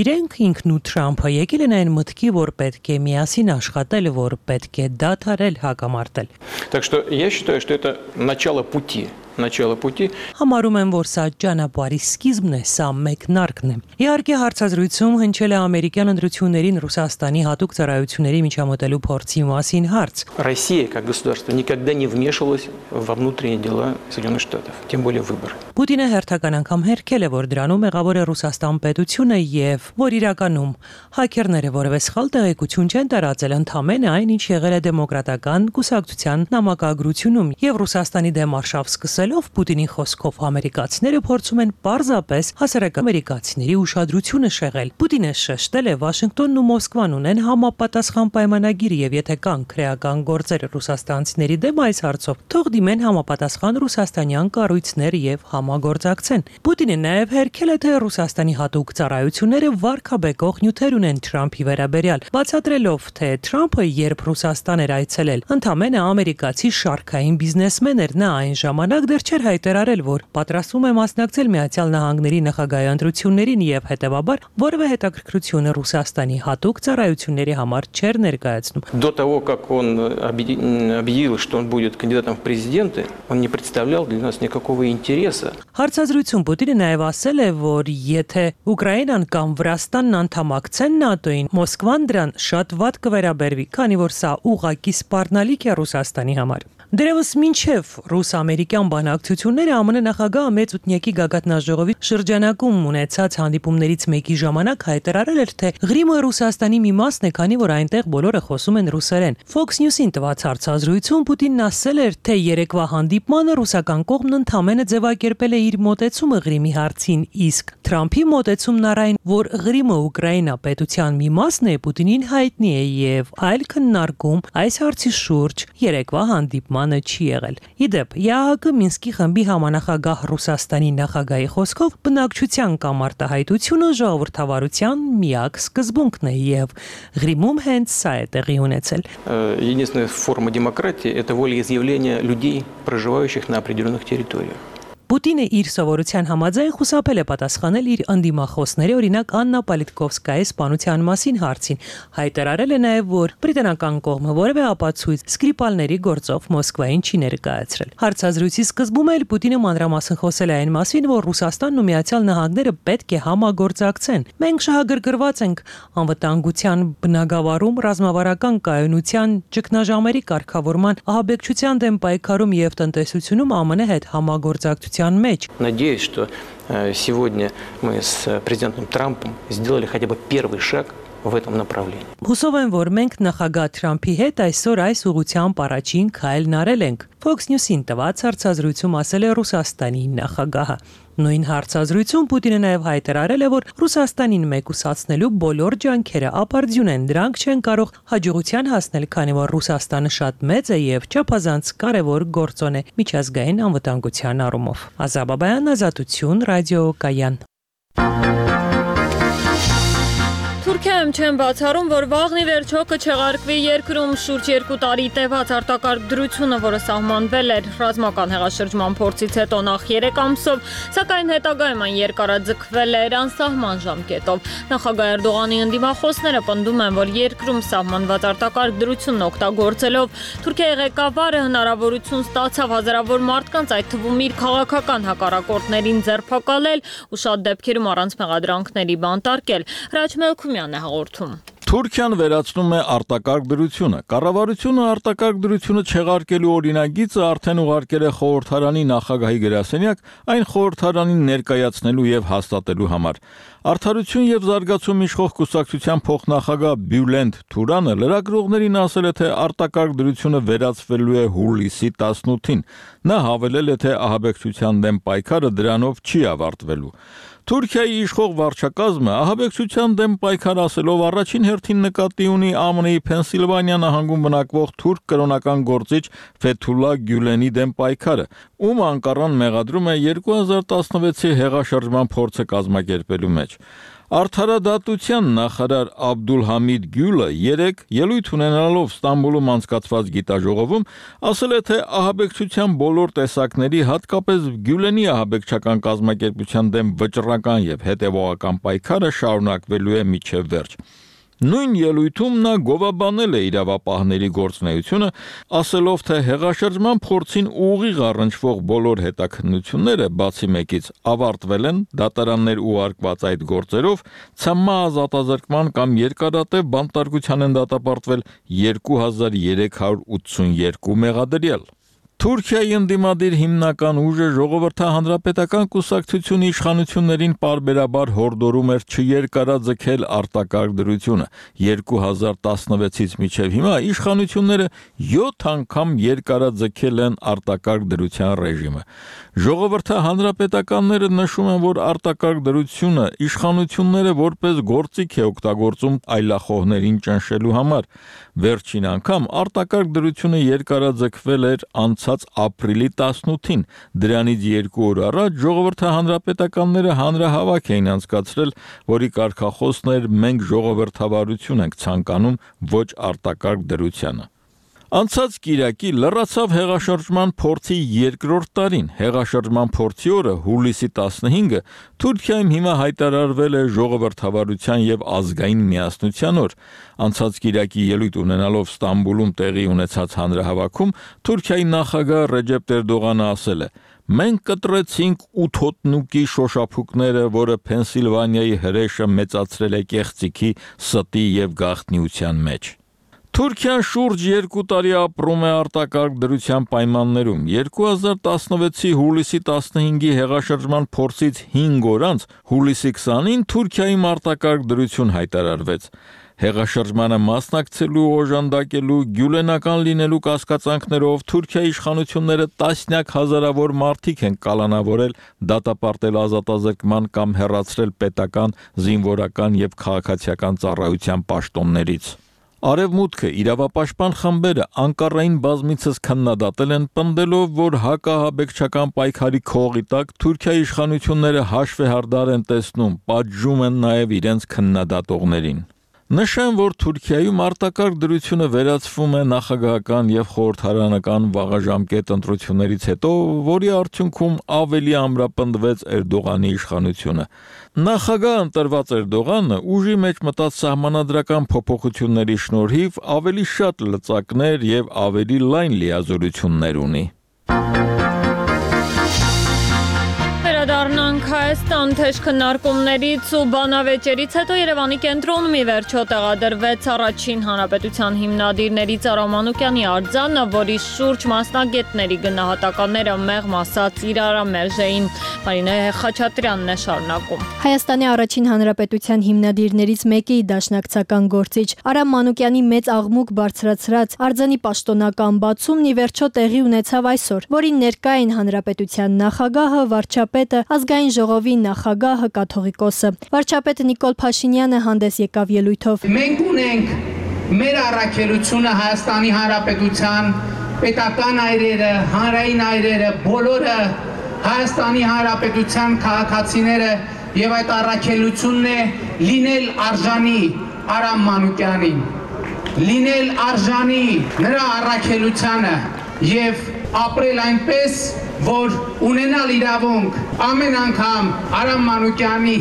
իրենք ինքն ու Թրամփը եկել են այն մտքի, որ պետք է միասին աշխատել, որ պետք է դադարել հակամարտել։ Так что я считаю, что это начало пути. Համարում եմ, որ սա ճանապարհի սկիզբն է, սա մեկնարկն է։ Իհարկե հարցազրույցում հնչել է ամերիկյան ընտրություններին Ռուսաստանի հատուկ ծառայությունների միջամտելու փորձի մասին հարց։ Россия как государство никогда не вмешивалась во внутренние дела Соединенных Штатов, тем более выборы. Պուտինը հերթական անգամ հերքել է, որ դրանում մեղավոր է Ռուսաստան պետությունը եւ որ իրականում հաքերները որևէ սխալ տեղեկություն չեն տարածել, ընդամենը այն, ինչ եղել է դեմոկրատական կուսակցության նամակագրությունում եւ Ռուսաստանի դեմ արշավ սկսել Պուտինի խոսքով ամերիկացիները փորձում են պարզապես հասարակ ամերիկացիների ուշադրությունը շեղել։ Պուտինը շեշտել է Վաշինգտոնն ու Մոսկվան ունեն համապատասխան պայմանագիր եւ եթե կան քրեական գործեր ռուսաստանցիների դեմ այս հարցով, թող դիմեն համապատասխան ռուսաստանյան կառույցներ եւ համագործակցեն։ Պուտինը նաեւ հերքել է, թե Ռուսաստանի հատուկ ծառայությունները վարկաբեկող նյութեր ունեն Թրամփի վերաբերյալ, բացատրելով, թե Թրամփը երբ Ռուսաստան էր այցելել, ընդամենը ամերիկացի շարքային բիզնեսմեն էր, նա այն ժամանակ չէր հայտարարել, որ պատրաստվում է մասնակցել Միացյալ Նահանգների նախագահի ընտրություններին եւ հետեւաբար որևէ հետաքրքրություն Ռուսաստանի հատուկ ծառայությունների համար չէր ներկայացնում։ До того, как он объявил, что он будет кандидатом в президенты, он не представлял для нас никакого интереса. Հարցազրույցում Պուտինը նաեւ ասել է, որ եթե Ուկրաինան կամ Վրաստանն անդամակցեն ՆԱՏՕ-ին, Մոսկվան դրան շատ վատ կվերաբերվի, քանի որ սա ուղղակի սպառնալիք է Ռուսաստանի համար։ Դերևս մինչև ռուս-ամերիկյան բանակցությունները ԱՄՆ նախագահը մեծ ութնյակի գագաթնաժողովի շրջանակում ունեցած հանդիպումներից մեկի ժամանակ հայտարարել էր, թե Ղրիմը Ռուսաստանի մի մասն է, քանի որ այնտեղ բոլորը խոսում են ռուսերեն։ Fox News-ին տված հարցազրույցում Պուտինն ասել էր, թե երեկվա հանդիպմանը ռուսական կողմն ընդամենը ձևակերպել է իր մոտեցումը Ղրիմի հարցին, իսկ Թրամփի մոտեցումն առայն, որ Ղրիմը Ուկրաինա պետության մի մասն է, Պուտինին հայտնի է եւ այլ քննարկում այս հարցի շուրջ երեկվա հանդիպմանը չի եղել։ Իդեպ, ԵԱՀԿ Մինսկի խմբի համանախագահ Ռուսաստանի նախագահի խոսքով բնակչության կամ արտահայտությունը ժողովրդավարության միակ սկզբունքն է եւ Ղրիմում հենց սա է տեղի ունեցել։ Единственная форма демократии это волеизъявление людей, проживающих на определенных территориях. Պուտինը իր սովորության համաձայն խուսափել է պատասխանել իր անդիմախոսների, օրինակ Աննա Պոլիտկովսկայի սպանության մասին հարցին։ Հայտարարել է նաև, որ բրիտանական կողմը որևէ ապացույց Սկրիպալների գործով Մոսկվային չի ներկայացրել։ Հարցազրույցի սկզբում էլ Պուտինը մանրամասն խոսել է այն մասին, որ Ռուսաստանն ու Միացյալ Նահանգները պետք է համագործակցեն։ Մենք շահագրգռված ենք անվտանգության բնագավառում, ռազմավարական կայունության, ճգնաժամերի կարգավորման, ահաբեկչության դեմ պայքարում եւ տնտեսությունում ԱՄՆ հետ համագործակցության մեջ։ Надеюсь, что сегодня мы с президентом Трампом сделали хотя бы первый шаг в этом направлении. Հուսով եմ, որ մենք նախագահ Թրամփի հետ այսօր այս ուղղությամբ առաջին քայլն արել ենք։ Fox News-ին տված հարցազրույցում ասել է Ռուսաստանի նախագահը։ Նույն հարցազրույցում Պուտինը նաև հայտարարել է, որ Ռուսաստանին մեկուսացնելու բոլոր ջանքերը ապարդյուն են, դրանք չեն կարող հաջողության հասնել, քանի որ Ռուսաստանը շատ մեծ է եւ չափազանց կարևոր գործոն է միջազգային անվտանգության առումով։ Ազաբաբայան, Ազատություն, Ռադիո Կայան։ Թուրքիայում չեն բացառում, որ վաղնի վերջո կչեղարկվի երկրում շուրջ 2 տարի տևած արտակարգ դրությունը, որը սահմանվել էր ռազմական հեղաշրջման փորձից հետո նախ 3 ամսով, սակայն հետագայում այն երկարաձգվել էր անսահման ժամկետով։ Նախագահ Էրդողանի ընդդիմախոսները պնդում են, որ երկրում սահմանված արտակարգ դրությունն օգտագործելով Թուրքիայի ղեկավարը հնարավորություն ստացավ հազարավոր մարդկանց, այդ թվում իր քաղաքական հակառակորդներին ձերբակալել ու շատ դեպքերում առանց մեղադրանքների բանտարկել։ Հաղորդում։ Թուրքիան վերացնում է արտակարգ դրությունը։ Կառավարությունը արտակարգ դրությունը չեղարկելու օրինագիծը արդեն ուղարկել է խորհրդարանի նախագահի գրասենյակ, այն խորհրդարանին ներկայացնելու եւ հաստատելու համար։ Արդարություն եւ զարգացում իշխող կուսակցության փոխնախագահ Բյուլենդ Թուրանը լրագրողներին ասել է, թե արտակարգ դրությունը վերացվելու է հուլիսի 18-ին։ Նա հավելել է, թե ահաբեկչության դեմ պայքարը դրանով չի ավարտվելու։ Թուրքիայի իշխող վարչակազմը ահաբեկչության դեմ պայքար ասելով առաջին հերթին նկատի ունի ԱՄՆ-ի Փենսիլվանիա նահանգում բնակվող թուրք կրոնական գործիչ Ֆեթուլա Գյուլենի դեմ պայքարը, ում Անկարան մեղադրում է 2016-ի հեղաշրջման փորձը կազմակերպելու մեջ։ Արդարադատության նախարար Աբդուլհամիդ Գյուլը երեկ ելույթ ունենալով Ստամբուլում անցկացված գիտաժողովում ասել է, թե ահաբեկչության բոլոր տեսակների, հատկապես Գյուլենի ահաբեկչական կազմակերպության դեմ վճռական եւ հետեւողական պայքարը շարունակվելու է մինչեւ վերջ։ Նույն ելույթում նա գովաբանել է իրավապահների գործունեությունը, ասելով, թե հեղաշրջման փորձին ուղիղ առնչվող բոլոր հետաքննությունները բացի մեկից ավարտվել են, դատարաններ ուղարկված այդ գործերով, ցամմա ազատազրկման կամ երկարատև բանտարկության են դատապարտվել 2382 մեղադրյալ։ Թուրքիայի ընդդիմադիր հիմնական ուժը ժողովրդահանրապետական կուսակցությունը իշխանություններին պարբերաբար հորդորում էր չերկարաձգել արտակարգ դրությունը։ 2016-ից մինչև հիմա իշխանությունները 7 անգամ երկարաձգել են արտակարգ դրության ռեժիմը։ Ժողովրդահանրապետականները նշում են, որ արտակարգ դրությունը իշխանությունները որպես գործիք է օգտագործում այլախոհներին ճնշելու համար։ Վերջին անգամ արտակարգ դրությունը երկարաձգվել էր անցած ապրիլի 18-ին, դրանից 2 օր առաջ ժողովրդահանրապետականները հանրահավաք էին անցկացրել, որի կարգախոսն էր «Մենք ժողովրդավարություն ենք ցանկանում, ոչ արտակարգ դրությանը»։ Անցած կիրակի լրացավ հեղաշրջման փորձի երկրորդ տարին։ Հեղաշրջման փորձի օրը հուլիսի 15-ը Թուրքիայում հիմա հայտարարվել է ժողովրդավարության եւ ազգային միասնության օր։ Անցած կիրակի ելույթ ունենալով Ստամբուլում տեղի ունեցած հանրահավաքում Թուրքիայի նախագահ Ռեջեփ Էրդողանը ասել է. «Մենք կտրեցինք 8 հոտնուկի շոշափուկները, որը Փենսիլվանիայի հրեշը մեծացրել է կեղծիքի, ստի եւ գաղտնիության մեջ»։ Թուրքիան շուրջ 2 տարի ապրում է արտակարգ դրության պայմաններում։ 2016-ի հուլիսի 15-ի հեղաշրջման փորձից 5 օր անց հուլիսի 20-ին Թուրքիայում արտակարգ դրություն հայտարարվեց։ Հեղաշրջմանը մասնակցելու, օժանդակելու, գյուլենական լինելու կասկածանքներով Թուրքիայի իշխանությունները տասնյակ հազարավոր մարդիկ են կալանավորել, դատապարտել ազատազրկման կամ հեռացրել պետական, զինվորական եւ քաղաքացիական ծառայության պաշտոններից։ Արևմուտքը իրավապաշտպան խմբերը Անկարային բազմիցս քննադատել են, պնդելով, որ հակահաբեկչական պայքարի քողի տակ Թուրքիայի իշխանությունները հաշվեհարդար են տեսնում, պատժում են նաև իրենց քննադատողներին։ Նշեմ, որ Թուրքիայում արտակարգ դրությունը վերացվում է նախագահական եւ խորհրդարանական վաղաժամկետ ընտրություններից հետո, որի արդյունքում ավելի ամրապնդվեց Էրդողանի իշխանությունը։ Նախագահ ընտրված Էրդողանը ուժի մեջ մտած սահմանադրական փոփոխությունների շնորհիվ ավելի շատ լծակներ եւ ավելի լայն լիազորություններ ունի։ Վերադառնանք Հայաստան թեժ քննարկումներից ու բանավեճերից հետո Երևանի կենտրոնում ի վերջո տեղադրվեց առաջին հանրապետության հիմնադիրներից Արա Մանուկյանի արձանը, որի շուրջ մասնագետների գնահատականները մեղմ ասած իրարամերժ էին։ Մարինե Խաչատրյանն է շարունակում։ Հայաստանի առաջին հանրապետության հիմնադիրներից մեկի դաշնակցական գործիչ Արա Մանուկյանի մեծ աղմուկ բարձրացրած արձանի պաշտոնական բացումն ի վերջո տեղի ունեցավ այսօր, որին ներկա էին հանրապետության նախագահը, վարչապետը, ազգային ժողովի նախագահը, կաթողիկոսը։ Վարչապետ Նիկոլ Փաշինյանը հանդես եկավ ելույթով։ Մենք ունենք մեր առաքելությունը Հայաստանի Հանրապետության պետական այրերը, հանրային այրերը, բոլորը Հայաստանի Հանրապետության քաղաքացիները եւ այդ առաքելությունն է լինել արժանի Արա Մանուկյանին, լինել արժանի նրա առաքելությանը եւ ապրել այնպես, որ ունենալ իրավունք ամեն անգամ Արա Մանուկյանի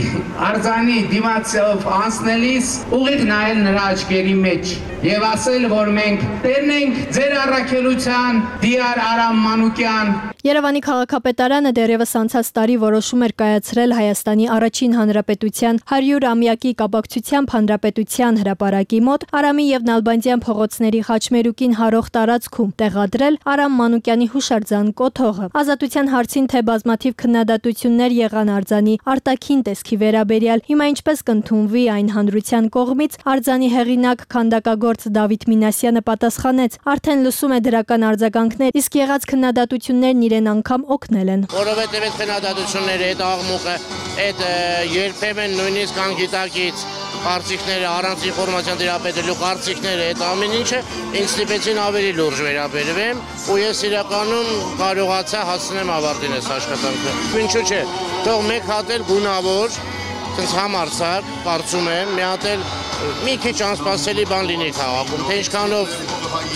արձանի դիմացով անցնելիս ուղիղ նայել նրա աչքերի մեջ եւ ասել, որ մենք տերն ենք ձեր առաքելության, դիար Արա Մանուկյան։ Երևանի քաղաքապետարանը դեռևս անցած տարի որոշում էր կայացրել Հայաստանի առաջին հանրապետության 100-ամյակի կապակցությամբ հանրապետության հրապարակի մոտ Արամի եւ Նալբանդյան փողոցների խաչմերուկին հարող տարածքում տեղադրել Արա Մանուկյանի հուշարձան կոթողը։ Ազատության հարցին թե բազմաթիվ քննադատություններ եղան արձանի արտաքին տեսքի վերաբերյալ, հիմա ինչպես կընդունվի այն հանրության կողմից, արձանի հեղինակ քանդակագործ Դավիթ Մինասյանը պատասխանեց, արդեն լսում է դրական արձագանքներ, իսկ եղած քննադատություններն իրեն անգամ օգնել են։ Որովհետև այդ քննադատությունները, այդ աղմուկը, այդ երբեմն նույնիսկ անգիտակից կարծիքները, առանց ինֆորմացիան դրապետելու կարծիքները, այդ ամեն ինչը ինձ ստիպեցին ավելի լուրջ վերաբերվեմ ու ես իրականում կարողացա հասնեմ ավարտին այս աշխատանքը։ Ինչու՞ չէ, թող մեկ հատ էլ գունավոր, ցած համարցակ, կարծում եմ, մի հատ էլ մի քիչ անսպասելի բան լինի քաղաքում, թե ինչքանով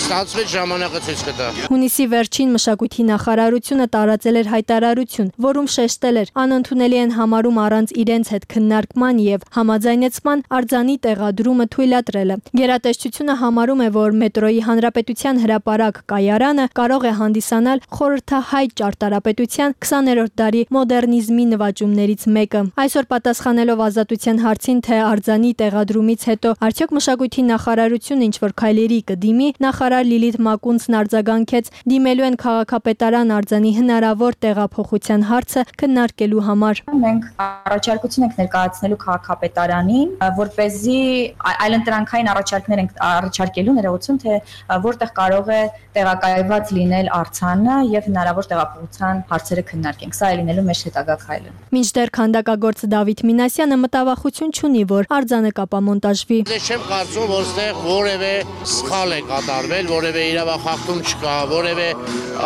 ստացվեց ժամանակը ցույց կտա։ Հունիսի վերջին մշակույթի նախարարությունը տարածել էր հայտարարություն, որում շեշտել էր անընդունելի են համարում առանց իրենց հետ քննարկման եւ համաձայնեցման արձանի տեղադրումը թույլատրելը։ Գերատեսչությունը համարում է, որ մետրոյի հանրապետության հրապարակ կայարանը կարող է հանդիսանալ խորհրդահայ ճարտարապետության 20-րդ դարի մոդեռնիզմի նվաճումներից մեկը։ Այսօր պատասխանելով ազատության հարցին, թե արձանի տեղադրումից հետո արդյոք մշակույթի նախարարությունը ինչ-որ քայլերի կդիմի, նախարար Լիլիթ Մակունցն արձագանքեց, դիմելու են քաղաքապետարան արձանի հնարավոր տեղափոխության հարցը քննարկելու համար։ Մենք առաջարկություն ենք ներկայացնելու քաղաքապետարանին, որպեսզի այլընտրանքային առաջարկներ ենք առաջարկելու ներողություն, թե որտեղ կարող է տեղակայված լինել արձանը եւ հնարավոր տեղափոխության հարցերը քննարկենք։ Սա է լինելու մեր հետագա քայլը։ Մինչդեռ քանդակագործ Դավիթ Մինասյանը մտավախություն չունի, որ արձանը կապամոնտաժվի։ Ես չեմ կարծում, որ այստեղ որևէ սխալ է կատարվել, որևէ իրավախախտում չկա, որևէ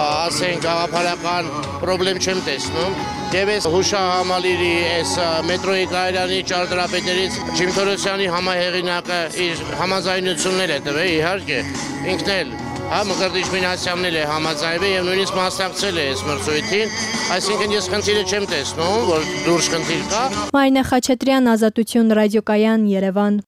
ասենք գաղափարական խնդրեմ չեմ տեսնում։ Եվ այս հուշահամալիրի այս մետրոյի կայարանի ճարտարապետներից Ջիմ Թորոսյանի համահեղինակը իր համաձայնություններ է տվել, իհարկե, ինքն էլ Մկրտիչ Մինասյանն էլ է համաձայնվել եւ նույնիսկ մասնակցել է այս մրցույթին, այսինքն ես խնդիրը չեմ տեսնում, որ դուրս խնդիր կա։ Մարինե Խաչատրյան, Ազատություն ռադիոկայան, Երևան։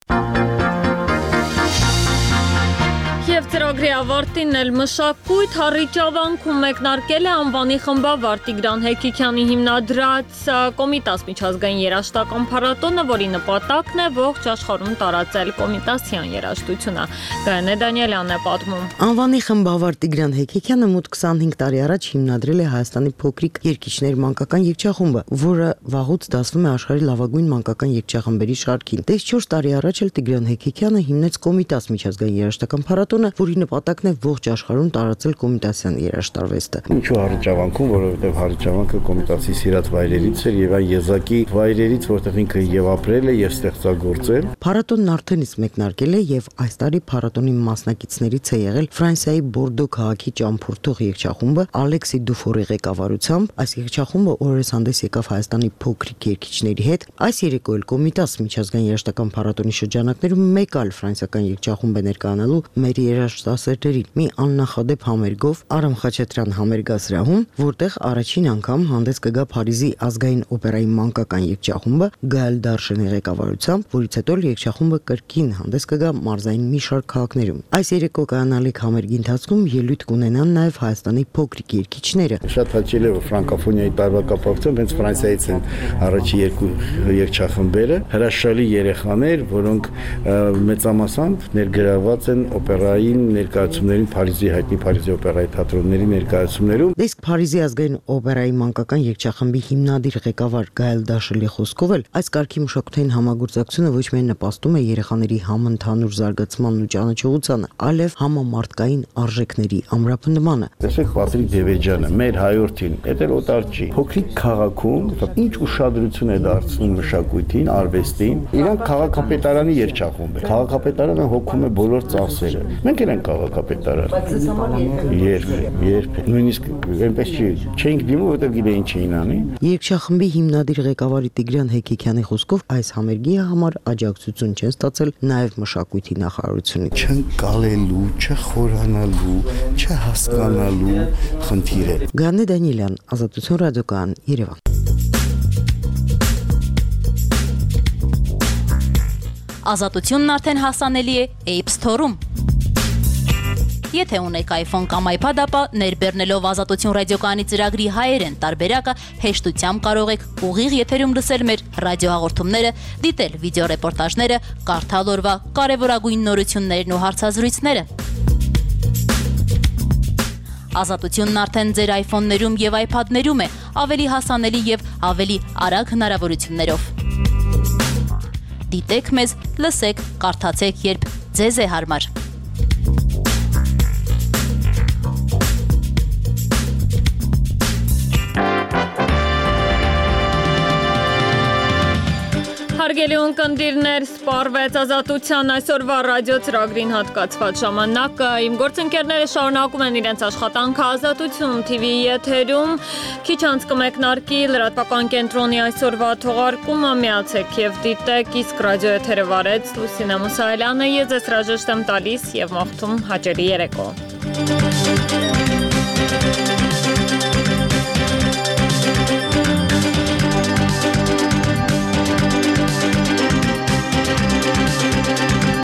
Եվ ծրագրի ավարտին էլ մշակույթ Հառիճավանքում մեկնարկել է անվանի խմբավար Տիգրան Հեկիքյանի հիմնադրած Կոմիտաս միջազգային երաժշտական փառատոնը, որի նպատակն է ողջ աշխարհում տարածել կոմիտասյան երաժշտությունը։ Գայանե Դանիելյանն է պատմում։ Անվանի խմբավար Տիգրան Հեկիքյանը մոտ 25 տարի առաջ հիմնադրել է Հայաստանի փոքրիկ երգիչներ մանկական երգչախումբը, որը վաղուց դասվում է աշխարհի լավագույն մանկական երգչախմբերի շարքին։ Դες 4 տարի առաջ էլ Տիգրան Հեկիքյանը հիմնեց Կոմիտաս միջազգային երաժշտական փառատոնը, որի նպատակն է ողջ աշխարհում տարածել կոմիտասյան երաժշտարվեստը։ Ինչու Հառիճավանքում, որովհետև Հառիճավանքը կոմիտասի սիրած վայրերից էր եւ այն եզակի վայրերից, որտեղ ինքը եւ ապրել է եւ ստեղծագործել։ Փառատոնն արդեն իսկ մեկնարկել է եւ այս տարի փառատոնի մասնակիցներից է եղել Ֆրանսիայի Բորդո քաղաքի ճամփորդող երգչախումբը Ալեքսի Դուֆորի ղեկավարությամբ։ Այս երգչախումբը օրերս հանդես եկավ Հայաստանի փոքրիկ երգիչների հետ։ Այս երեկո էլ Կոմիտաս միջազգային երաժշտական փառատոնի շրջանակներում մեկ այլ ֆրանսիական երգչախումբ է ներկայանալու մեր երաժշտասերներին մի աննախադեպ համերգով Արամ Խաչատրյան համերգասրահում, որտեղ առաջին անգամ հանդես կգա Փարիզի ազգային օպերայի մանկական երգչախումբը Գայել Դարշենի ղեկավարությամբ, որից հետո երգչախումբը կրկին հանդես կգա մարզային մի շարք քաղաքներում։ Այս երեկո կանալիք համերգի ընթացքում ելույթ կունենան նաև Հայաստանի փոքրիկ երգիչները։ Շատ հաճելի է, որ ֆրանկոֆոնիայի տարվա կապակցությամբ հենց Ֆրանսիայից են առաջի երկու երգչախմբերը, հրաշալի երեխաներ, որոնք մեծամասամբ ներգրաված են օպերային ներկայացումներին Փարիզի հայտնի Փարիզի օպերայի թատրոնների ներկայացումներում։ Իսկ Փարիզի ազգային օպերայի մանկական երգչախմբի հիմնադիր ղեկավար Գայել Դաշելի խոսքով էլ այս կարգի մշակութային համագործակցությունը ոչ միայն նպաստում է երեխաների համընդհանուր զարգացմանն ու ճանաչողությանը, այլև համամարտկային արժեքների ամրապնդմանը։ Տեսեք Պատրիկ Դևեջյանը, մեր հայրենին, դա օտար չի։ Փոքրիկ քաղաքում ինչ ուշադրություն է դարձնում մշակույթին, արվեստին, իրանք քաղաքապետարանի երգչախումբ է։ Քաղաքապետարանը հոգում է բոլոր ծախսերը։ Մենք էլ ենք քաղաքապետարան։ Բայց ես համար երբ նույնիսկ այնպես չենք դիմում, որտեղ գիտեին չէին անի։ Երգչախմբի հիմնադիր ղեկավարի Տիգրան Հեքիքյանի խոսքով այս համերգի համար աջակցություն չեն ստացել նաև մշակույթի նախարարությունից։ Չընկալելու, չխորանալու, չհասկանալու խնդիր է։ Գանե Դանիելյան, Ազատություն ռադիոկայան, Երևան։ Ազատությունն արդեն հասանելի է App Store-ում։ Եթե ունեք iPhone կամ iPad, ապա ներբեռնելով Ազատություն ռադիոկայանի ծրագրի հայերեն տարբերակը հեշտությամբ կարող եք ուղիղ եթերում լսել մեր ռադիոհաղորդումները, դիտել վիդեոռեպորտաժները, կարդալ օրվա կարևորագույն նորություններն ու հարցազրույցները։ Ազատությունն արդեն ձեր iPhone-ներում եւ iPad-ներում է, ավելի հասանելի եւ ավելի արագ հնարավորություններով։ Դիտեք մեզ, լսեք, կարդացեք, երբ ձեզ է հարմար։ Հարգելի ունկնդիրներ, սպառվեց Ազատության այսօրվա ռադիո ծրագրին հատկացված ժամանակը։ Իմ գործընկերները շարունակում են իրենց աշխատանքը Ազատություն TV-ի եթերում։ Քիչ անց կմեկնարկի լրատվական կենտրոնի այսօրվա թողարկումը, միացեք եւ դիտեք, իսկ ռադիո եթերը վարեց Լուսինե Մուսայելյանը, ես ձեզ հրաժեշտ եմ տալիս եւ մաղթում հաճելի երեկո։